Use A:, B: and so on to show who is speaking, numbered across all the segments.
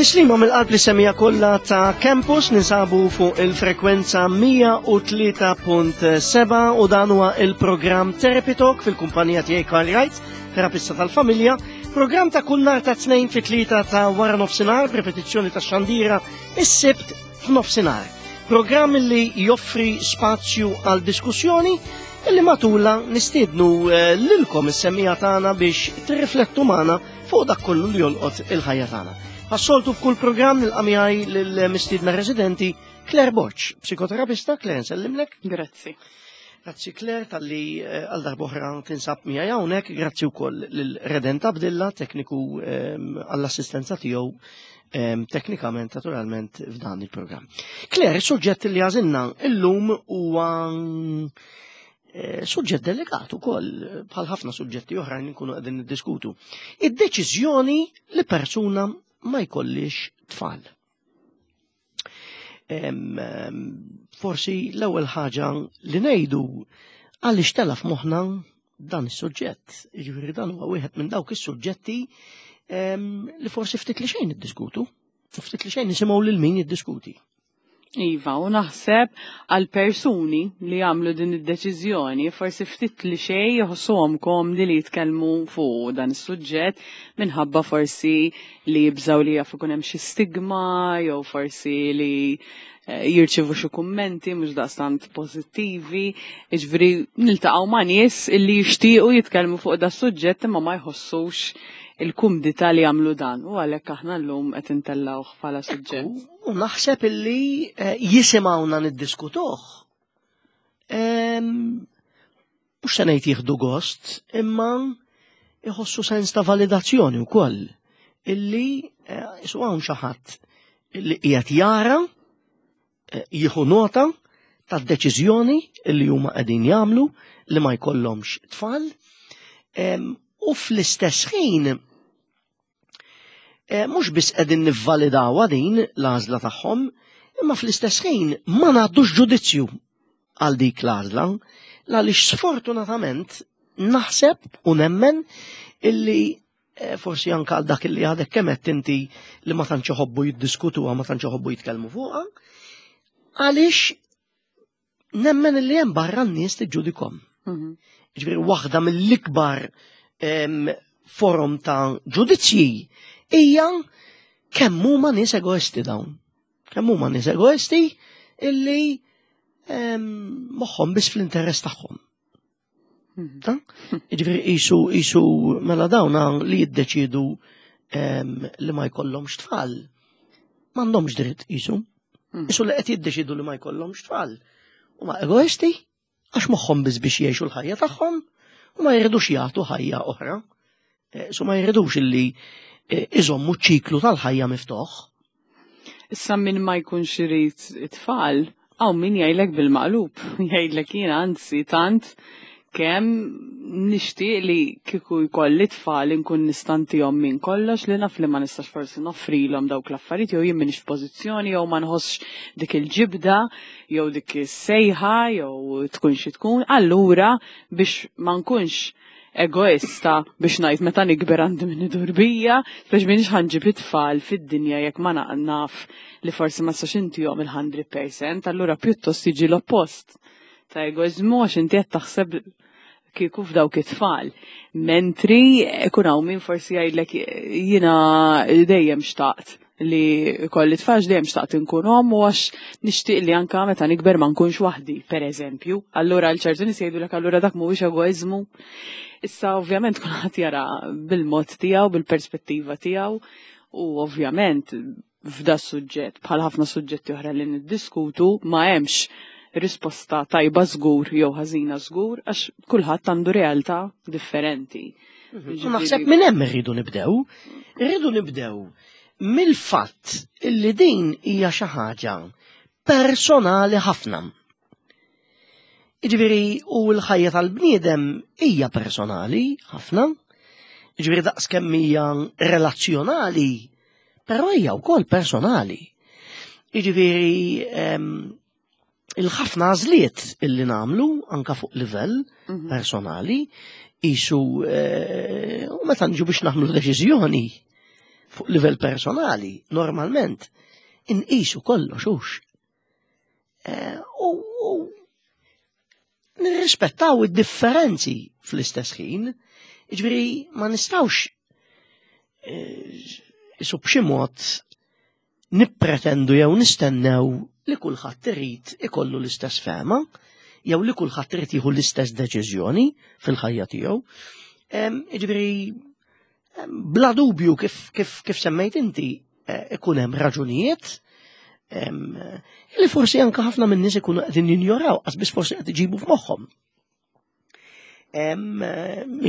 A: Tislima mill-qalb li semija kollha ta' Campus ninsabu fuq il-frekwenza 103.7 u dan huwa il-programm Therapy Talk fil-kumpanija tiegħi Karl Wright, terapista tal-familja, programm ta' kull nhar ta' tnejn fit-tlieta ta' wara nofsinhar b'repetizzjoni ta' xandira is-sibt f'nofsinhar. Programm li joffri spazju għal diskussjoni illi matula nistiednu eh, lilkom is-semija tagħna biex tirriflettu magħna fuq dak kollu li jolqot il-ħajja tagħna. Għas-soltu f'kull programm nilqa' miegħi lill-mistiedna residenti Claire Borg, psikoterapista. Claire, nsellimlek.
B: Grazzi.
A: Grazzi Claire talli eh, għal darbohra tinsab miegħi hawnhekk, grazzi wkoll lil Redent Abdilla, tekniku ehm, għall-assistenza tiegħu ehm, teknikament naturalment f'dan il-programm. Claire, is-suġġett li għażilna illum huwa Eh, suġġett delikat ukoll bħal ħafna suġġetti oħrajn li nkunu qegħdin niddiskutu. Id-deċiżjoni li persuna ma jkollix tfal. Forsi l-ewwel ħaġa li ngħidu għaliex tela f'moħħna dan is-suġġett. Jiġifieri dan huwa wieħed minn dawk is-suġġetti li forsi ftit li xejn niddiskutu, ftit li xejn nisimgħu lil min jiddiskuti.
B: Iva, u naħseb għal persuni li għamlu din id-deċiżjoni, forsi ftit li xej jħossuhom komdi li jitkellmu fuq dan is-suġġett minħabba forsi li jibżaw li jaf ikun hemm xi stigma jew forsi li eh, jirċivu xi kummenti mhux daqstant pożittivi. Jiġifieri niltaqgħu ma' nies illi jixtiequ jitkellmu fuq da suġġett imma ma jħossux il-kumdità li jagħmlu dan u għalhekk aħna llum qed intellgħuh bħala suġġett.
A: U naħseb illi eh, jisimgħuna niddiskutuh. Mhux se ngħid jieħdu gost, imma jħossu sens ta' validazzjoni wkoll illi eh, isu hawn xi ħadd illi qiegħed jara eh, jieħu nota tad-deċiżjoni illi huma qegħdin jagħmlu li ma jkollhomx tfal u fl-istess ħin Eh, mhux biss qegħdin nivvalidawha din l-għażla tagħhom, imma fl-istess ħin ma ngħaddux ġudizzju għal dik l-għażla, għaliex sfortunatament naħseb u nemmen illi eh, forsi anka għal dak illi għadek kemm inti li ma tantx iħobbu jiddiskutuha, ma tantx iħobbu jitkellmu fuqha, għaliex nemmen li hemm barra n-nies tiġġudikom. Mhm. Ġifieri waħda mill-ikbar forum ta' ġudizzji hija kemm huma nies egoisti dawn. Kemm huma nies egoisti illi moħħhom biss fl-interess tagħhom. Mhm. Ġifieri qisu qisu mela dawn li jiddeċidu li ma jkollhomx tfal. M'għandhomx dritt qisu. Mhm. Qisu li qed jiddeċidu li ma jkollhomx tfal. Huma egoisti għax moħħhom biss biex jgħixu l-ħajja tagħhom u ma jridux jagħtu ħajja oħra. Eh, so ma jridux illi eh, iżommu ċiklu tal-ħajja miftuħ.
B: Issa min ma jkunx irid it-tfal, hawn min jgħidlek bil-maqlub, jgħidlek jiena anzi tant kemm nixtieq li kieku jkolli tfal inkun nistantihom minn kollox li naf li ma nistax forsi noffrilhom dawk l-affarijiet jew jien m'iniex f'pożizzjoni jew ma nħossx dik il-ġibda jew dik is-sejħa jew tkun xi tkun, allura biex ma nkunx egoista biex ngħid meta nikber għandi min idur bija, biex minix ħanġib it-tfal fid-dinja jekk ma naf li forsi ma nistax intihom il-100%, allura pjuttost jiġi l-oppost ta' egoizmu għax inti qed taħseb kieku f'dawk it-tfal. Mentri ikun hawn min forsi jgħidlek jiena dejjem xtaqt li kolli tfal dejjem xtaqt inkun omm u għax nixtieq li anka meta nikber ma nkunx waħdi, per eżempju. Allura għal ċertu nies jgħidulek allura dak mhuwiex egoiżmu. Issa ovvjament kulħadd jara bil-mod tiegħu, bil-perspettiva tiegħu u ovvjament f'da suġġett bħal ħafna suġġetti oħra li niddiskutu ma hemmx risposta tajba żgur jew ħażina żgur għax kulħadd għandu realtà differenti.
A: Mhm. Naħseb minn hemm irridu nibdew. Irridu nibdew mill-fatt illi din hija xi ħaġa personali ħafna. Jiġifieri u l-ħajja tal-bniedem hija personali ħafna, jiġifieri daqs kemm hija relazzjonali, però hija wkoll personali. Jiġifieri ehm, il-ħafna għażliet illi nagħmlu anka fuq livell mhm. personali isu eh, u meta nġu biex nagħmlu deċiżjoni. Fuq livell personali, normalment, inqisu kollox hux. Eh, u nirrispettaw id-differenzi fl-istess ħin, jiġifieri ma nistgħux eh, isu b'xi mod nippretendu jew nistennew li kulħadd irid ikollu l-istess fehma jew li kulħadd irid jieħu l-istess deċiżjoni fil-ħajja tiegħu. Jiġifieri bla dubju kif, kif, kif semmejt inti eh, ikun hemm raġunijiet li forsi anke ħafna minn nies ikunu qegħdin jinjoraw, qas biss forsi qed iġibu f'moħħhom.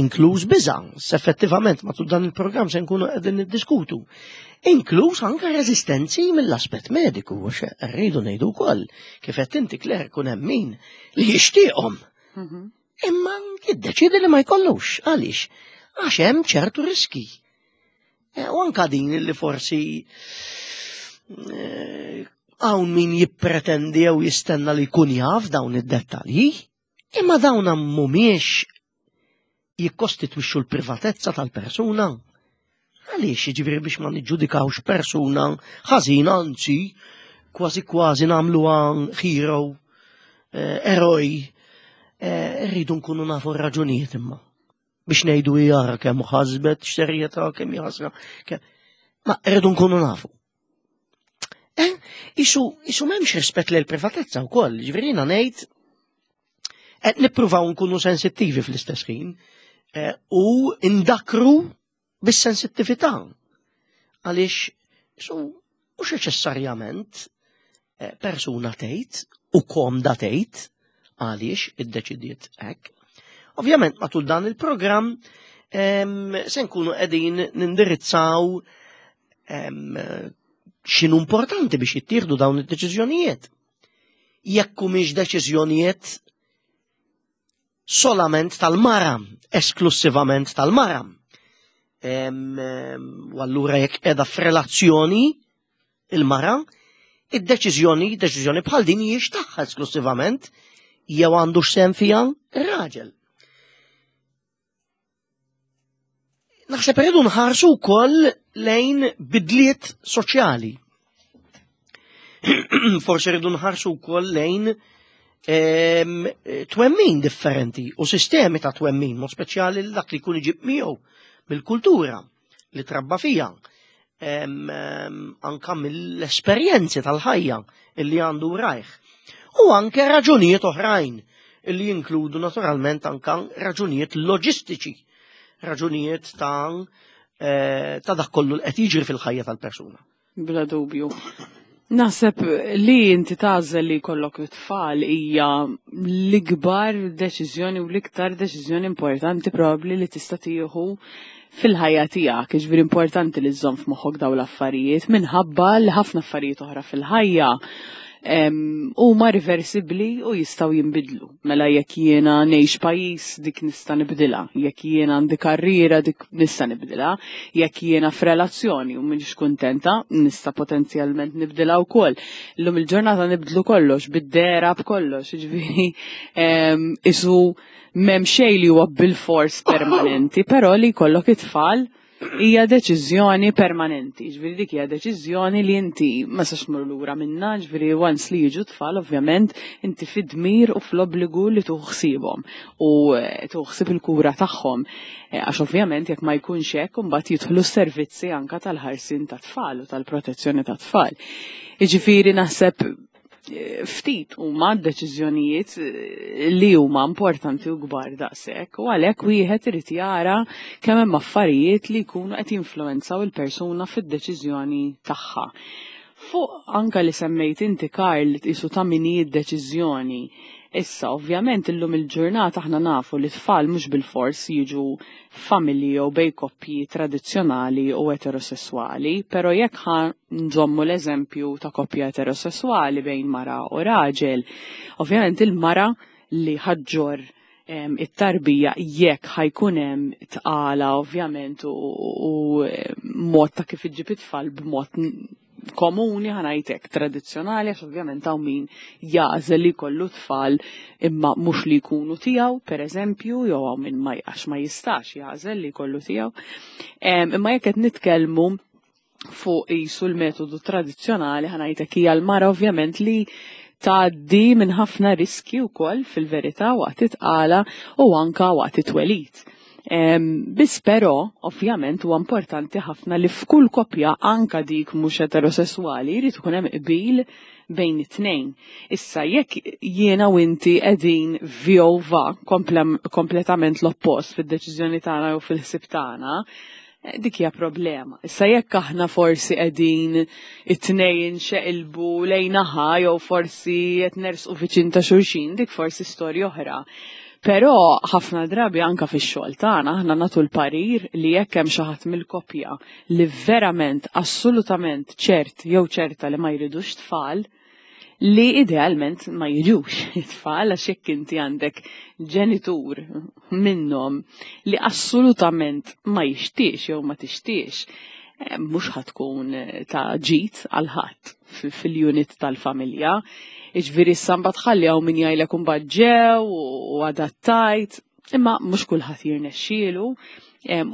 A: Inkluż biża, effettivament matul dan il-programm se nkunu qegħdin niddiskutu. Inkluż anke reżistenzi mill-aspett mediku, għax rridu ngħidu wkoll kif qed inti Claire kun hemm min li jixtieqhom. Imma jiddeċiedi li ma jkollux. Għaliex? Għax hemm ċertu riski. E, u anka din li forsi e, hawn min jippretendi jew jistenna li jkun jaf dawn id-dettalji, imma dawn mhumiex jikkostitwixxu l-privatezza tal-persuna. Għaliex jiġifieri biex ma niġġudikawx persuna ħażina, anzi, kważi kważi nagħmluha hero, eh, eroj, eh, rridu nkunu nafu r-raġunijiet imma. Biex ngħidu jara kemm ħasbet, x'serjetà, kemm jħasra. Ma rridu nkunu nafu. Eh, isu, isu m'hemmx rispett lil privatezza wkoll, ġifieri jiena ngħid qed nippruvaw nkunu sensittivi fl-istess ħin eh, u ndakru bis-sensittività. Għaliex isu mhux neċessarjament eh, persuna tgħid u komda tgħid għaliex iddeċidiet hekk. Ovvjament matul dan il-programm se nkunu qegħdin nindirizzaw x'inhu importanti biex jittieħdu dawn id-deċiżjonijiet. Jekk humiex deċiżjonijiet solament tal-mara, esklussivament tal-mara. U allura jekk qiegħda f'relazzjoni il-mara, id-deċiżjoni, deċiżjoni bħal din hijiex tagħha esklussivament jew għandu x'sehem fiha ir-raġel. Naħseb irridu nħarsu wkoll lejn bidliet soċjali. Forsi rridu nħarsu wkoll lejn ehm, twemmin differenti u sistemi ta' twemmin, mod speċjali dak li jkun iġib miegħu mill-kultura li trabba fija, ehm, ehm, anka mill-esperjenzi tal-ħajja illi għandu rajh. U anke raġunijiet oħrajn illi jinkludu naturalment anka raġunijiet loġistiċi, raġunijiet ta' eh, ta' dak kollu l qed jiġri fil-ħajja tal-persuna.
B: Bla dubju. Naħseb li inti tagħżel li jkollok it-tfal hija l-ikbar deċiżjoni u l-iktar deċiżjoni importanti probabbli li tista' tieħu fil-ħajja tiegħek. Jiġifieri importanti li żżomm f'moħħok dawn l-affarijiet minħabba li ħafna affarijiet oħra fil-ħajja huma riversibbli u jistgħu jinbidlu. Mela jekk jiena ngħix pajjiż dik nista' nibdilha, jekk jiena għandi karriera dik nista' nibdilha, jekk jiena f'relazzjoni u m'iniex kuntenta nista' potenzjalment nibdilha wkoll. Illum il-ġurnata nibdlu kollox bid-dehra b'kollox, jiġifieri isu m'hemm xejn li huwa bilfors permanenti, però li jkollok it-tfal hija deċiżjoni permanenti, ġifieri dik hija deċiżjoni li inti ma sax tmur lura minnha, ġifieri once li jiġu tfal ovvjament inti fid-dmir u fl-obbligu li tuħu ħsiebhom u eh, tuħu ħsieb il-kura tagħhom. Eh, għax ovvjament jekk ma jkunx hekk imbagħad jidħlu s-servizzi anka tal-ħarsien tat-tfal u tal-protezzjoni tat-tfal. Jiġifieri naħseb ftit huma deċiżjonijiet eh, li huma importanti u kbar daqshekk u għalhekk wieħed irid jara kemm hemm affarijiet li jkunu qed jinfluwenzaw il-persuna fid-deċiżjoni tagħha. Fuq anka li semmejt inti Karl isu ta' min hi d-deċiżjoni. Issa, ovvjament illum il-ġurnata aħna nafu li tfal mhux bilfors jiġu familji jew bej koppji tradizzjonali u eterosesswali, però jekk ħa nżommu l-eżempju ta' koppja eterosesswali bejn mara u raġel, ovvjament il-mara li ħaġġor it-tarbija jekk ħajkun hemm tqala ovvjament u, u mod ta' kif iġġib it-tfal b'mod komuni ħanajtek tradizzjonali għax ovvjament hawn min jagħżel li jkollu tfal imma mhux li jkunu tiegħu pereżempju jew hawn min ma għax ma jistax jagħżel li jkollu tiegħu. Imma jekk qed nitkellmu. fuq qisu l-metodu tradizzjonali ħa ngħidlek hija l-mara ovvjament li tgħaddi minn ħafna riski wkoll fil-verità waqt it-tqala u anka waqt it-twelid. Biss però, ovvjament, huwa importanti ħafna li f'kull koppja anka dik mhux eterosesswali jrid ikun hemm qbil bejn it-tnejn. Issa jekk jiena u inti qegħdin vjova kompletament l-oppost fid-deċiżjoni tagħna jew fil-ħsieb tagħna, dik hija problema. Issa jekk aħna forsi qegħdin it-tnejn xeqilbu lejn naħa jew forsi qed nersqu viċin ta' xulxin, dik forsi storja oħra. Però ħafna drabi anka fix-xogħol tagħna aħna nagħtu l-parir li jekk hemm xi ħadd mill-koppja li verament assolutament ċert jew ċerta li ma jridux tfal, li idealment ma jiġux it-tfal għax jekk inti għandek ġenitur minnhom li assolutament ma jixtiex jew ma tixtiex, eh, mhux ħatkun eh, ta' ġid għal ħadd fil-unit tal-familja. Iġviri s-samba tħalli hawn min jgħidlek imbagħad ġew u adattajt, Imma mhux kulħadd jirnexxielu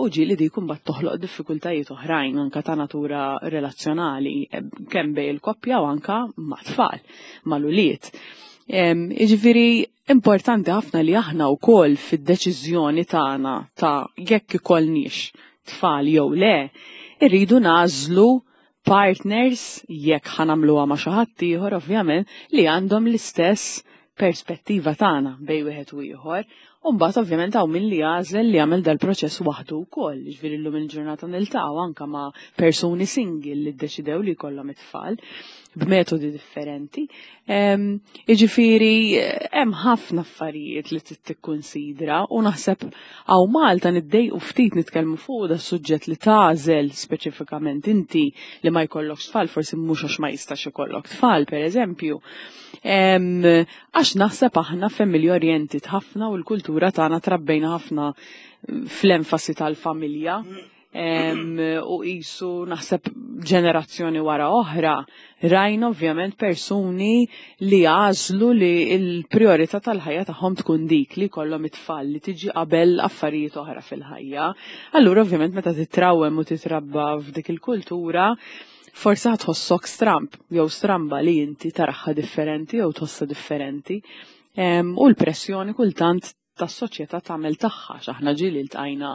B: u ġieli dik imbagħad toħloq diffikultajiet oħrajn anka ta' natura relazzjonali kemm bej il-koppja u anka ma' tfal, mal-ulied. Jiġifieri importanti ħafna li aħna wkoll fid-deċiżjoni tagħna ta' jekk ikollniex tfal jew le, irridu nagħżlu partners jekk ħa nagħmluha ma' xi ħadd ieħor ovvjament li għandhom l-istess perspettiva tagħna bejn wieħed u ieħor. U mbagħad ovvjament hawn min li jagħżel li jagħmel dal-proċess waħdu wkoll, jiġifieri llum il-ġurnata niltaqgħu anke ma' persuni single li ddeċidew li jkollhom it-tfal b'metodi differenti. Jiġifieri hemm ħafna affarijiet li trid tikkunsidra u naħseb hawn Malta niddejqu ftit nitkellmu fuq da suġġett li tagħżel speċifikament inti li ma jkollokx tfal, forsi mhux għax ma jistax ikollok tfal, pereżempju. Għax naħseb aħna family oriented ħafna u l-kultura tagħna trabbejna ħafna fl-enfasi tal-familja u qisu naħseb ġenerazzjoni wara oħra rajna ovvjament persuni li għażlu li l-priorità tal-ħajja tagħhom tkun dik li jkollhom it-tfal li tiġi qabel affarijiet oħra fil-ħajja. Allura ovvjament meta titrawem u titrabba f'dik il-kultura, forsi tħossok stramb jew stramba li inti taraħħa differenti jew tħossha differenti. U l-pressjoni kultant tas-soċjetà tagħmel tagħha x'aħna ġieli ltqajna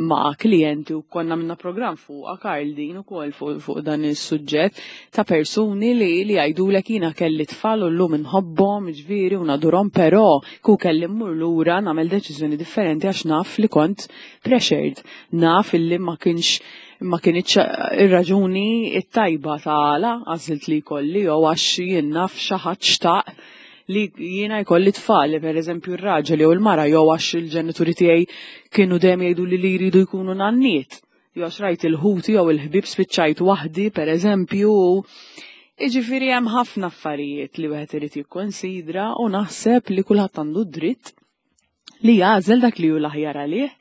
B: ma' klijenti u konna minna programm fuqha Karl din ukoll fuq fu dan is-suġġett ta' persuni li li jgħidulek jiena kelli tfal u llum inħobbhom ġifieri u nadurhom però ku kelli mmur lura nagħmel deċiżjoni differenti għax naf li kont pressured, naf illi ma kienx ma kinitx ir-raġuni it-tajba ta' għażilt li jkolli jew għax jien naf xi ħadd xtaq li jiena jkolli tfal, per eżempju r-raġel jew il-mara jew għax il-ġenituri tiegħi kienu dejjem jgħidu li li jridu jkunu nanniet. Jew għax rajt il-ħuti jew il-ħbieb spiċċajt waħdi, per eżempju. Iġifieri hemm ħafna affarijiet li wieħed irid jikkonsidra u naħseb li kulħadd għandu dritt li jagħżel dak li hu l-aħjar għalih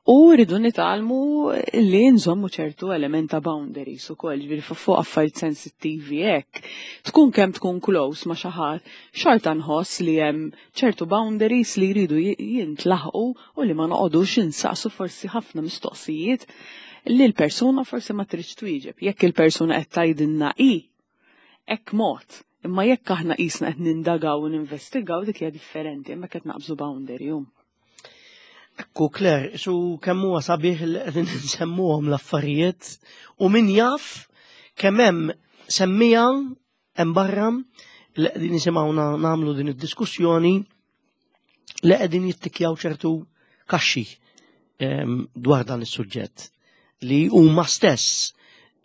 B: u rridu nitgħallmu li nżommu ċertu element ta' boundaries ukoll, ġifieri fuq affarijiet sensittivi hekk. Tkun kemm tkun close ma' xi ħadd, xorta nħoss li hemm ċertu boundaries li jridu jintlaħqu u li ma noqogħdux insaqsu forsi ħafna mistoqsijiet li l-persuna forsi ma tridx twieġeb. Jekk il-persuna qed tgħidilna i, hekk mod. Imma jekk aħna qisna qed nindagaw u ninvestigaw dik hija differenti, imma qed naqbżu boundary.
A: Ekku Claire, su kemm huwa sabiħ li qegħdin nsemmuhom l-affarijiet u min jaf kemm hemm semmija hemm barra li qegħdin nisimgħuna nagħmlu din id-diskussjoni li qegħdin jittikjaw ċertu kaxxi ehm, dwar dan is-suġġett li huma stess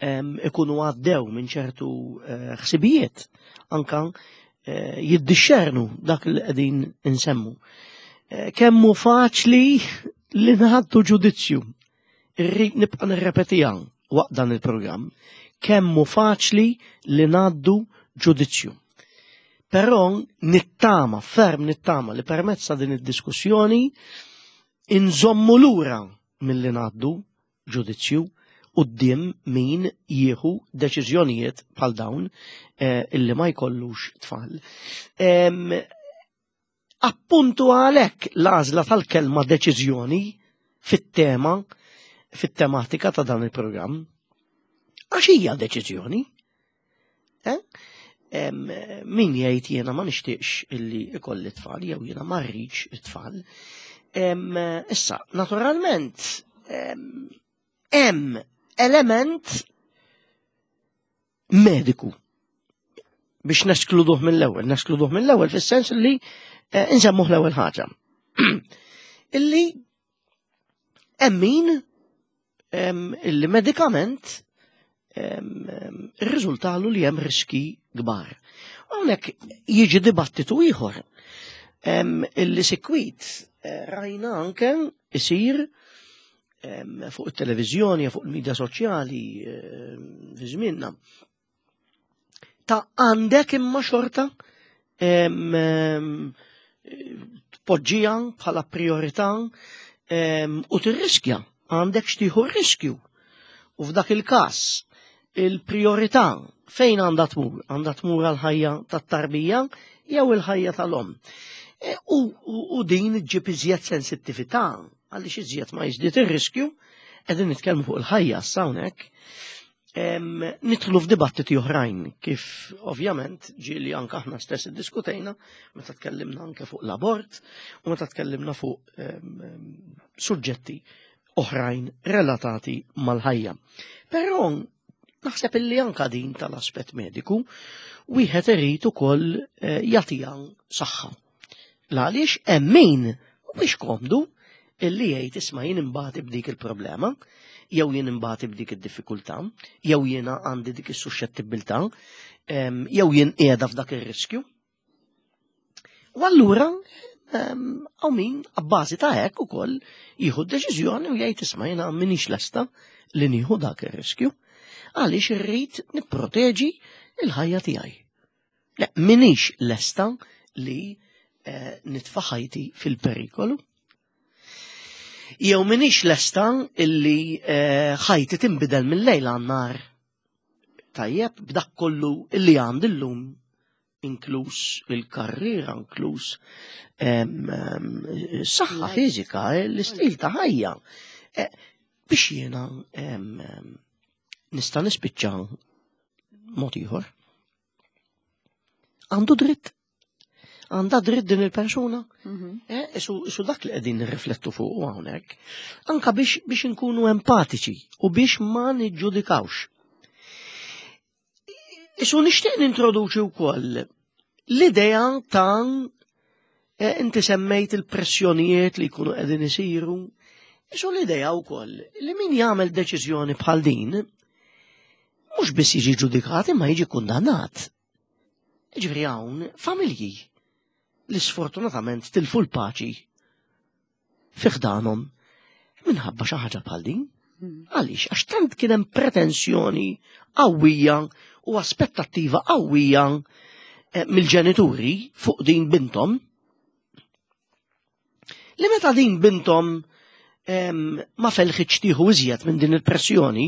A: ehm, ikunu għaddew minn ċertu eh, ħsibijiet anka eh, jiddixxernu dak li qegħdin insemmu. Eh, kemm hu faċli li ngħaddu ġudizzju. Irrid nibqa' nirrepetiha waqt dan il-programm. Kemm hu faċli li ngħaddu ġudizzju. Però nittama, ferm nittama li permezz ta' din id-diskussjoni inżommu lura milli ngħaddu ġudizzju quddiem min jieħu deċiżjonijiet bħal dawn eh, illi ma jkollux tfal. Appuntu għalhekk l-għażla tal-kelma deċiżjoni fit-tema, fit-tematika ta' dan il-programm. Għax hija deċiżjoni. Eh? Min jgħid jiena ma nixtieqx illi ikolli tfal jew jiena ma rridx it-tfal. Issa, naturalment, hemm element mediku biex neskluduh mill-ewwel, neskluduh mill-ewwel fis-sens li eh, nsemmuh l-ewwel ħaġa. Illi hemm min illi medikament irriżultalu li hemm riski kbar. Hawnhekk jiġi dibattitu ieħor illi sikwit eh, rajna anke isir fuq it-televiżjoni, fuq il-medja soċjali fi żmienna. Ta' għandek imma xorta tpoġġija bħala priorità u tirriskja, għandek xtieħu riskju. U f'dak il-każ il-priorità fejn għandha tmur? Għandha tmur għal-ħajja tat-tarbija jew il-ħajja tal-om. E, u, u, u din ġib iżjed sensittività għaliex iżjed ma jiżdied ir-riskju, qegħdin nitkellmu fuq il-ħajja hawnhekk. Nidħlu f'dibattiti oħrajn kif ovvjament ġieli anke aħna stess iddiskutejna meta tkellimna anke fuq l-abort u meta tkellimna fuq suġġetti oħrajn relatati mal-ħajja. Però naħseb illi anka din tal-aspett mediku wieħed irid ukoll eh, jagħtiha saħħa. L-għaliex hemm min mhuwiex komdu illi jgħid isma' jien imbagħad b'dik il-problema, jew jien imbagħad b'dik id-diffikultà, jew jiena għandi dik is-suxxettibilità, jew jien qiegħda f'dak ir-riskju. U allura hawn min abbażi ta' hekk ukoll jieħu d-deċiżjoni u jgħid isma' jiena m'iniex lesta li nieħu dak ir-riskju għaliex irrid nipproteġi il-ħajja tiegħi. Le, m'iniex lesta li eh, nitfa' ħajti fil-perikolu. Jew m'iniex lesta illi eh, ħajti tinbidel mill-lejl għan-nar. Tajjeb, b'dak kollu illi għandi llum inkluż il-karriera, inkluż saħħa fiżika, l-istil ta' ħajja. Eh, biex jiena nista' nispiċċa mod ieħor. Għandu dritt. Għandha dritt din il-persuna. Mhm. Eh, isu dak li qegħdin nirriflettu fuq hawnhekk. Anka biex biex inkunu empatiċi u biex ma niġġudikawx. Isu nixtieq nintroduċi wkoll l-idea ta' eh, inti semmejt il-pressjonijiet li jkunu qegħdin isiru. Isu l-idea wkoll li min jagħmel deċiżjoni bħal din mhux biss jiġi ġudikat imma jiġi kundannat. Ġifieri hawn familji li sfortunatament tilfu l-paċi fi ħdanhom minħabba xi ħaġa bħal din. Hmm. Għaliex, għax tant kien hemm pretensjoni qawwija u aspettattiva qawwija eh, mill-ġenituri fuq din bintom li meta din bintom ma felħitx tieħu iżjed minn din il-pressjoni,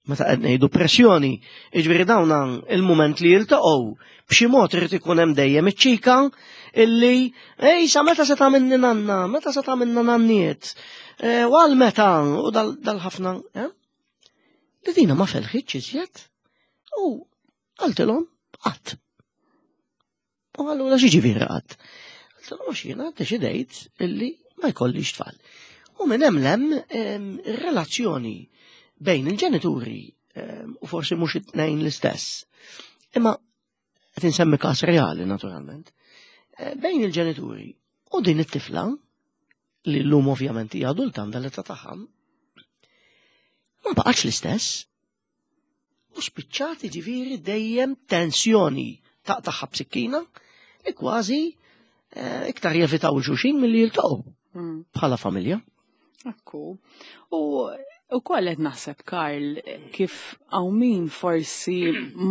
A: meta qed ngħidu pressjoni, jiġifieri dawn il-mument li jiltaqgħu b'xi mod irid ikun hemm dejjem iċ-ċika illi ej sa meta se tagħmilni nanna, meta se tagħmilna nanniet, e, u għal meta u dal-ħafna, eh? Li dina ma felħitx iżjed u qaltilhom qatt. U allura x'jiġifieri qatt? Għaltilhom għax jiena ddeċidejt illi ma jkollix tfal. U minn hemm lem ir-relazzjoni bejn il-ġenituri u forsi mhux it-tnejn l-istess. Imma qed insemmi każ reali naturalment. Eh, bejn il-ġenituri u din it-tifla li llum ovvjament hija adulta għandha l-età tagħha ma baqgħetx l-istess. U spiċċat ġifieri dejjem tensjoni taqtaħħa b'sikkina li kważi eh, iktar jevitaw xulxin milli jiltaqgħu hmm. bħala familja.
B: Ekku. U u koll qed naħseb Karl kif hawn min forsi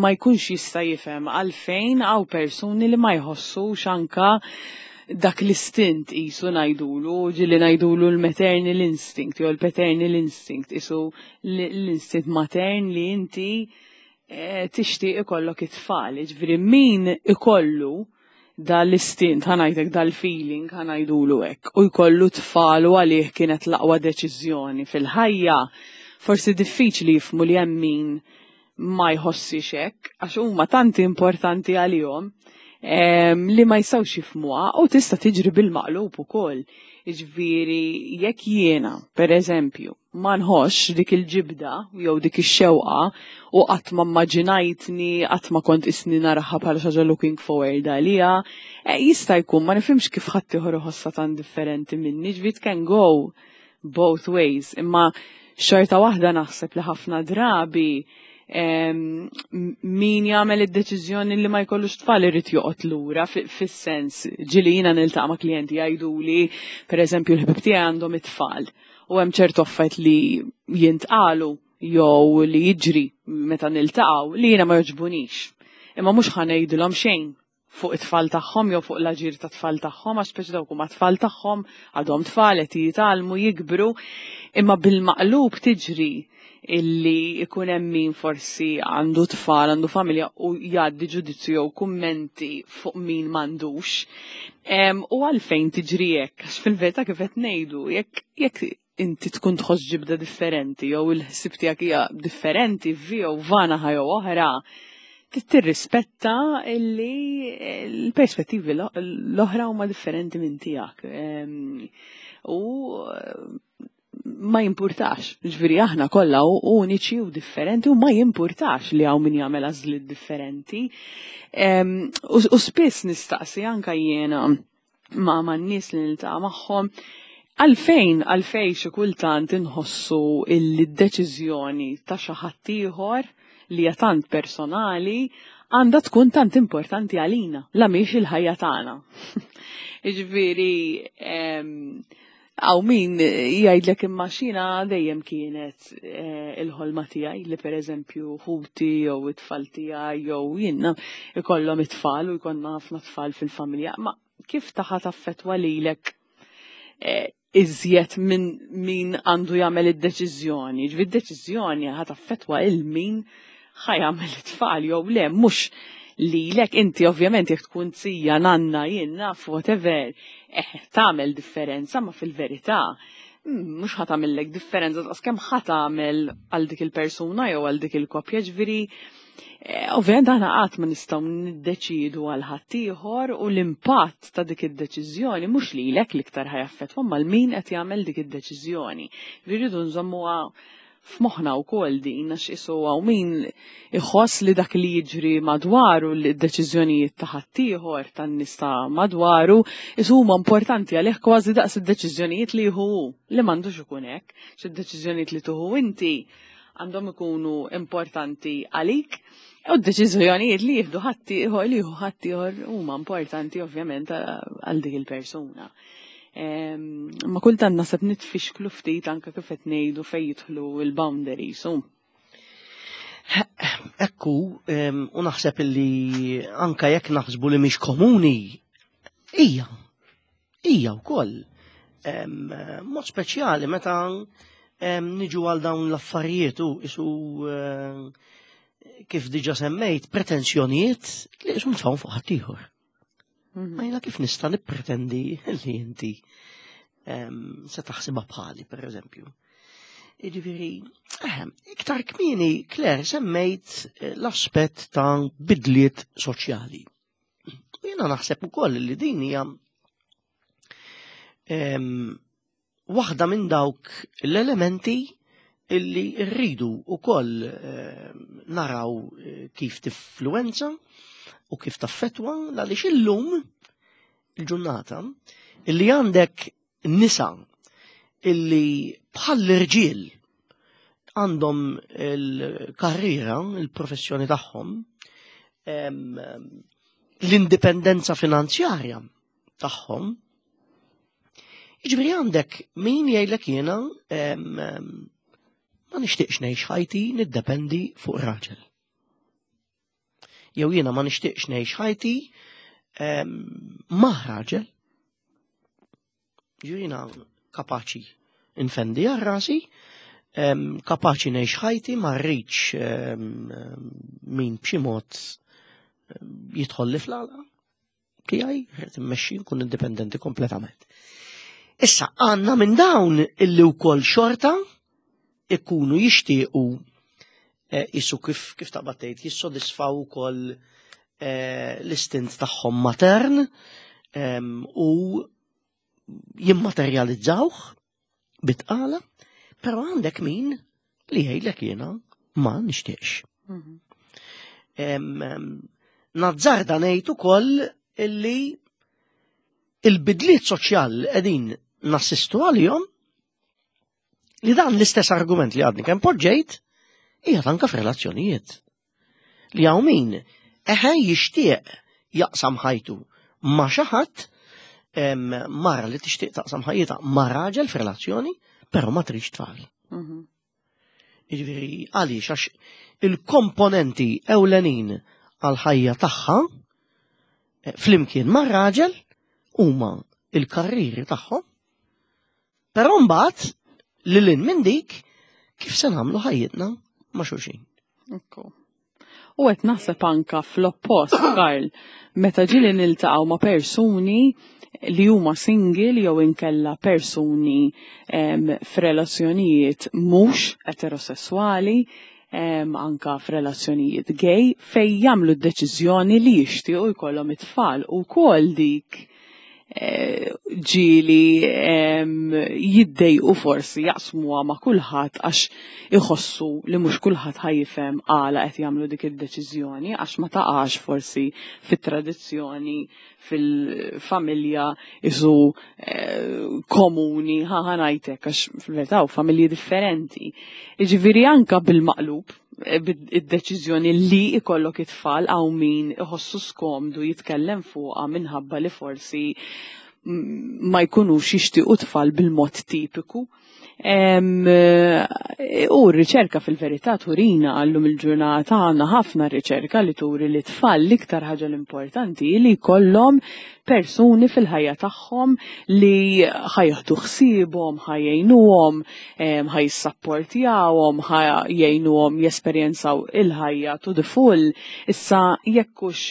B: ma jkunx jista' jifhem għalfejn hawn persuni li ma jħossux anka dak l-istint isu ngħidulu, ġieli ngħidulu l-maternal instinct jew l-paternal instinct isu l-instint matern li inti eh, tixtieq ikollok it-tfal. Ġifieri min ikollu dal-istint, ħa ngħidlek dal-feeling, ħa ngħidulu hekk, u jkollu tfal u għalih kienet l-aqwa deċiżjoni fil-ħajja, forsi diffiċli jifhmu li hemm min ma jħossix hekk għax huma tant importanti għalihom li ma jistgħux jifhmuha u tista' tiġri bil-maqlub ukoll. Jiġifieri jekk jiena, per eżempju, ma nħossx dik il-ġibda jew dik ix-xewqa u qatt ma mmaġinajtni, qatt ma kont isni naraha bħala xi ħaġa looking forward għaliha, eh, jista' jkun ma nifhimx kif ħadd ieħor iħossha tant differenti minni, ġifieri it can go both ways, imma xorta waħda naħseb li ħafna drabi min jagħmel id-deċiżjoni li ma jkollux tfal irid joqgħod lura fis-sens ġieli jiena niltaqa' ma' klijenti jgħiduli, pereżempju l-ħbib tiegħi għandhom it-tfal u hemm ċertu affarijiet li jintqalu jew li jiġri meta niltaqgħu li jiena ma jogħġbunix. Imma mhux ħa ngħidilhom xejn fuq it-tfal tagħhom jew fuq l-aġir ta' tfal tagħhom għax speċi dawk huma tfal tagħhom għadhom tfal qed jitgħallmu jikbru imma bil-maqlub tiġri illi ikun hemm min forsi għandu tfal, għandu familja u jgħaddi ġudizzju jew kummenti fuq min m'għandux. U għalfejn tiġri hekk, għax fil-verità kif qed ngħidu, jekk jekk inti tkun tħoss ġibda differenti jew il-ħsieb tiegħek hija differenti vi jew vana jew oħra, tirrispetta illi l-perspettivi l-oħra huma differenti minn tiegħek. U ma jimpurtax, ġifieri aħna kollha uniċi u differenti u ma jimpurtax li hawn min jagħmel għażliet differenti. U spiss nistaqsi anka jiena ma' man-nies li niltaqa' magħhom għalfejn għalfejn xi kultant inħossu illi d-deċiżjoni ta' xi ħadd ieħor li hija tant personali għandha tkun tant importanti għalina, la mhix il-ħajja tagħna. Jiġifieri hawn min jgħidlek imma xina dejjem kienet eh, il-ħolma tiegħi li pereżempju ħuti jew it-tfal tiegħi jew jiena ikollhom it-tfal u jkollna ħafna tfal fil-familja. Ma kif taħa taffetwa lilek eh, iżjed minn min għandu jagħmel id-deċiżjoni. Ġifieri d-deċiżjoni ħa taffetwa il min ħa jagħmel it-tfal jew le mhux lilek inti ovvjament jekk tkun zija nanna jien naf whatever eh, tagħmel differenza ma fil-verità mm, mhux ħa tagħmellek differenza daqs kemm ħa tagħmel għal dik il-persuna jew għal dik il-koppja ġifieri eh, ovvjament aħna qatt ma nistgħu niddeċidu għal ħaddieħor u l-impatt ta' dik id-deċiżjoni mhux lilek l-iktar ħa jaffettwa mal min qed jagħmel dik id-deċiżjoni. Rridu nżommuha f'moħħna wkoll din għax isu hawn min iħoss li dak li jiġri madwaru li d-deċiżjonijiet ta' ħaddieħor tan-nies ta' madwaru isu huma importanti għalih kważi daqs id-deċiżjonijiet li jieħu hu li m'għandux ikun hekk. Xi li tuħu inti għandhom ikunu importanti għalik u d-deċiżjonijiet li jieħdu ħaddieħor li jieħu ħaddieħor huma importanti ovvjament għal dik il-persuna. Ma kultant naħseb nitfixklu ftit anke kif qed ngħidu fejn jidħlu l-boundaries.
A: Ekku, u naħseb li anka jekk naħsbu li mhix komuni, hija, hija wkoll. Mod speċjali meta niġu għal dawn l-affarijiet u isu kif diġa semmejt pretenzjonijiet li isu nitfgħu fuq ħaddieħor. Mhm. Ma jina kif nista' nippretendi li inti se taħsibha bħali, per eżempju. Jiġifieri, ehm, iktar kmieni, Claire, semmejt eh, l-aspett ta' bidliet soċjali. U jiena naħseb ukoll li din hija ehm, waħda minn dawk l-elementi illi rridu ukoll eh, naraw eh, kif tifluenza u kif taffetwa għaliex illum il-ġurnata illi għandek nisa illi bħal l-irġiel għandhom il-karriera, il-professjoni tagħhom, l-indipendenza finanzjarja tagħhom. Jiġifieri għandek min jgħidlek jiena ma nixtieqx ngħix ħajti niddependi fuq raġel. Jew jiena ma nixtieqx ngħix ħajti ma' raġel. Jiena kapaċi nfendi għal rasi, kapaċi ngħix ħajti ma rridx min b'xi mod jidħol li fl-għalqa tiegħi, rrid immexxi nkun indipendenti kompletament. Issa għandna minn dawn illi wkoll xorta ikunu jixtiequ isu kif kif taqbad tgħid jissodisfaw ukoll l-istint tagħhom matern u jimmaterjalizzawh bitqala, però għandek min li jgħidlek jiena ma nixtieqx. Nazzarda ngħid ukoll illi il-bidliet soċjali li qegħdin nassistu għalihom li dan l-istess argument li għadni kemm poġġejt hija anke f'relazzjonijiet. Li hawn min eħe jixtieq jaqsam ħajtu ma' xi ħadd mara li tixtieq taqsam ħajjitha ma' raġel f'relazzjoni, però ma tridx tfal. Jiġifieri għaliex għax il-komponenti ewlenin għal-ħajja tagħha flimkien mar-raġel huma il-karriri tagħhom, però mbagħad lil hinn minn dik kif se nagħmlu ħajjitna ma' xulxin.
B: Ekku. U qed naħseb anka fl-oppost, Karl, meta ġieli niltaqgħu ma' persuni li huma single jew inkella persuni f'relazzjonijiet mhux eterosessuali, anka f'relazzjonijiet gay, fej jagħmlu d-deċiżjoni li jixtiequ jkollhom it-tfal u wkoll dik ġieli jiddejqu forsi jaqsmuha ma' kulħadd għax iħossu li mhux kulħadd ħa jifhem għala qed jagħmlu dik id-deċiżjoni għax ma taqax forsi fit-tradizzjoni fil-familja isu komuni ħa ngħidlek għax fil-verità familji differenti. Jiġifieri anka bil-maqlub id-deċiżjoni li ikollok it-tfal hawn min iħossu skomdu jitkellem fuqha minħabba li forsi ma jkunux jixtiequ tfal bil-mod tipiku. U r-riċerka fil-verità turina għallum il-ġurnata għandna ħafna riċerka li turi li tfal l-iktar ħaġa l-importanti li jkollhom persuni fil-ħajja tagħhom li ħa jieħdu ħsiebhom, ħa jgħinuhom, ħa jissapportjawhom, ħa jgħinuhom jesperjenzaw il-ħajja to the full. Issa jekk hux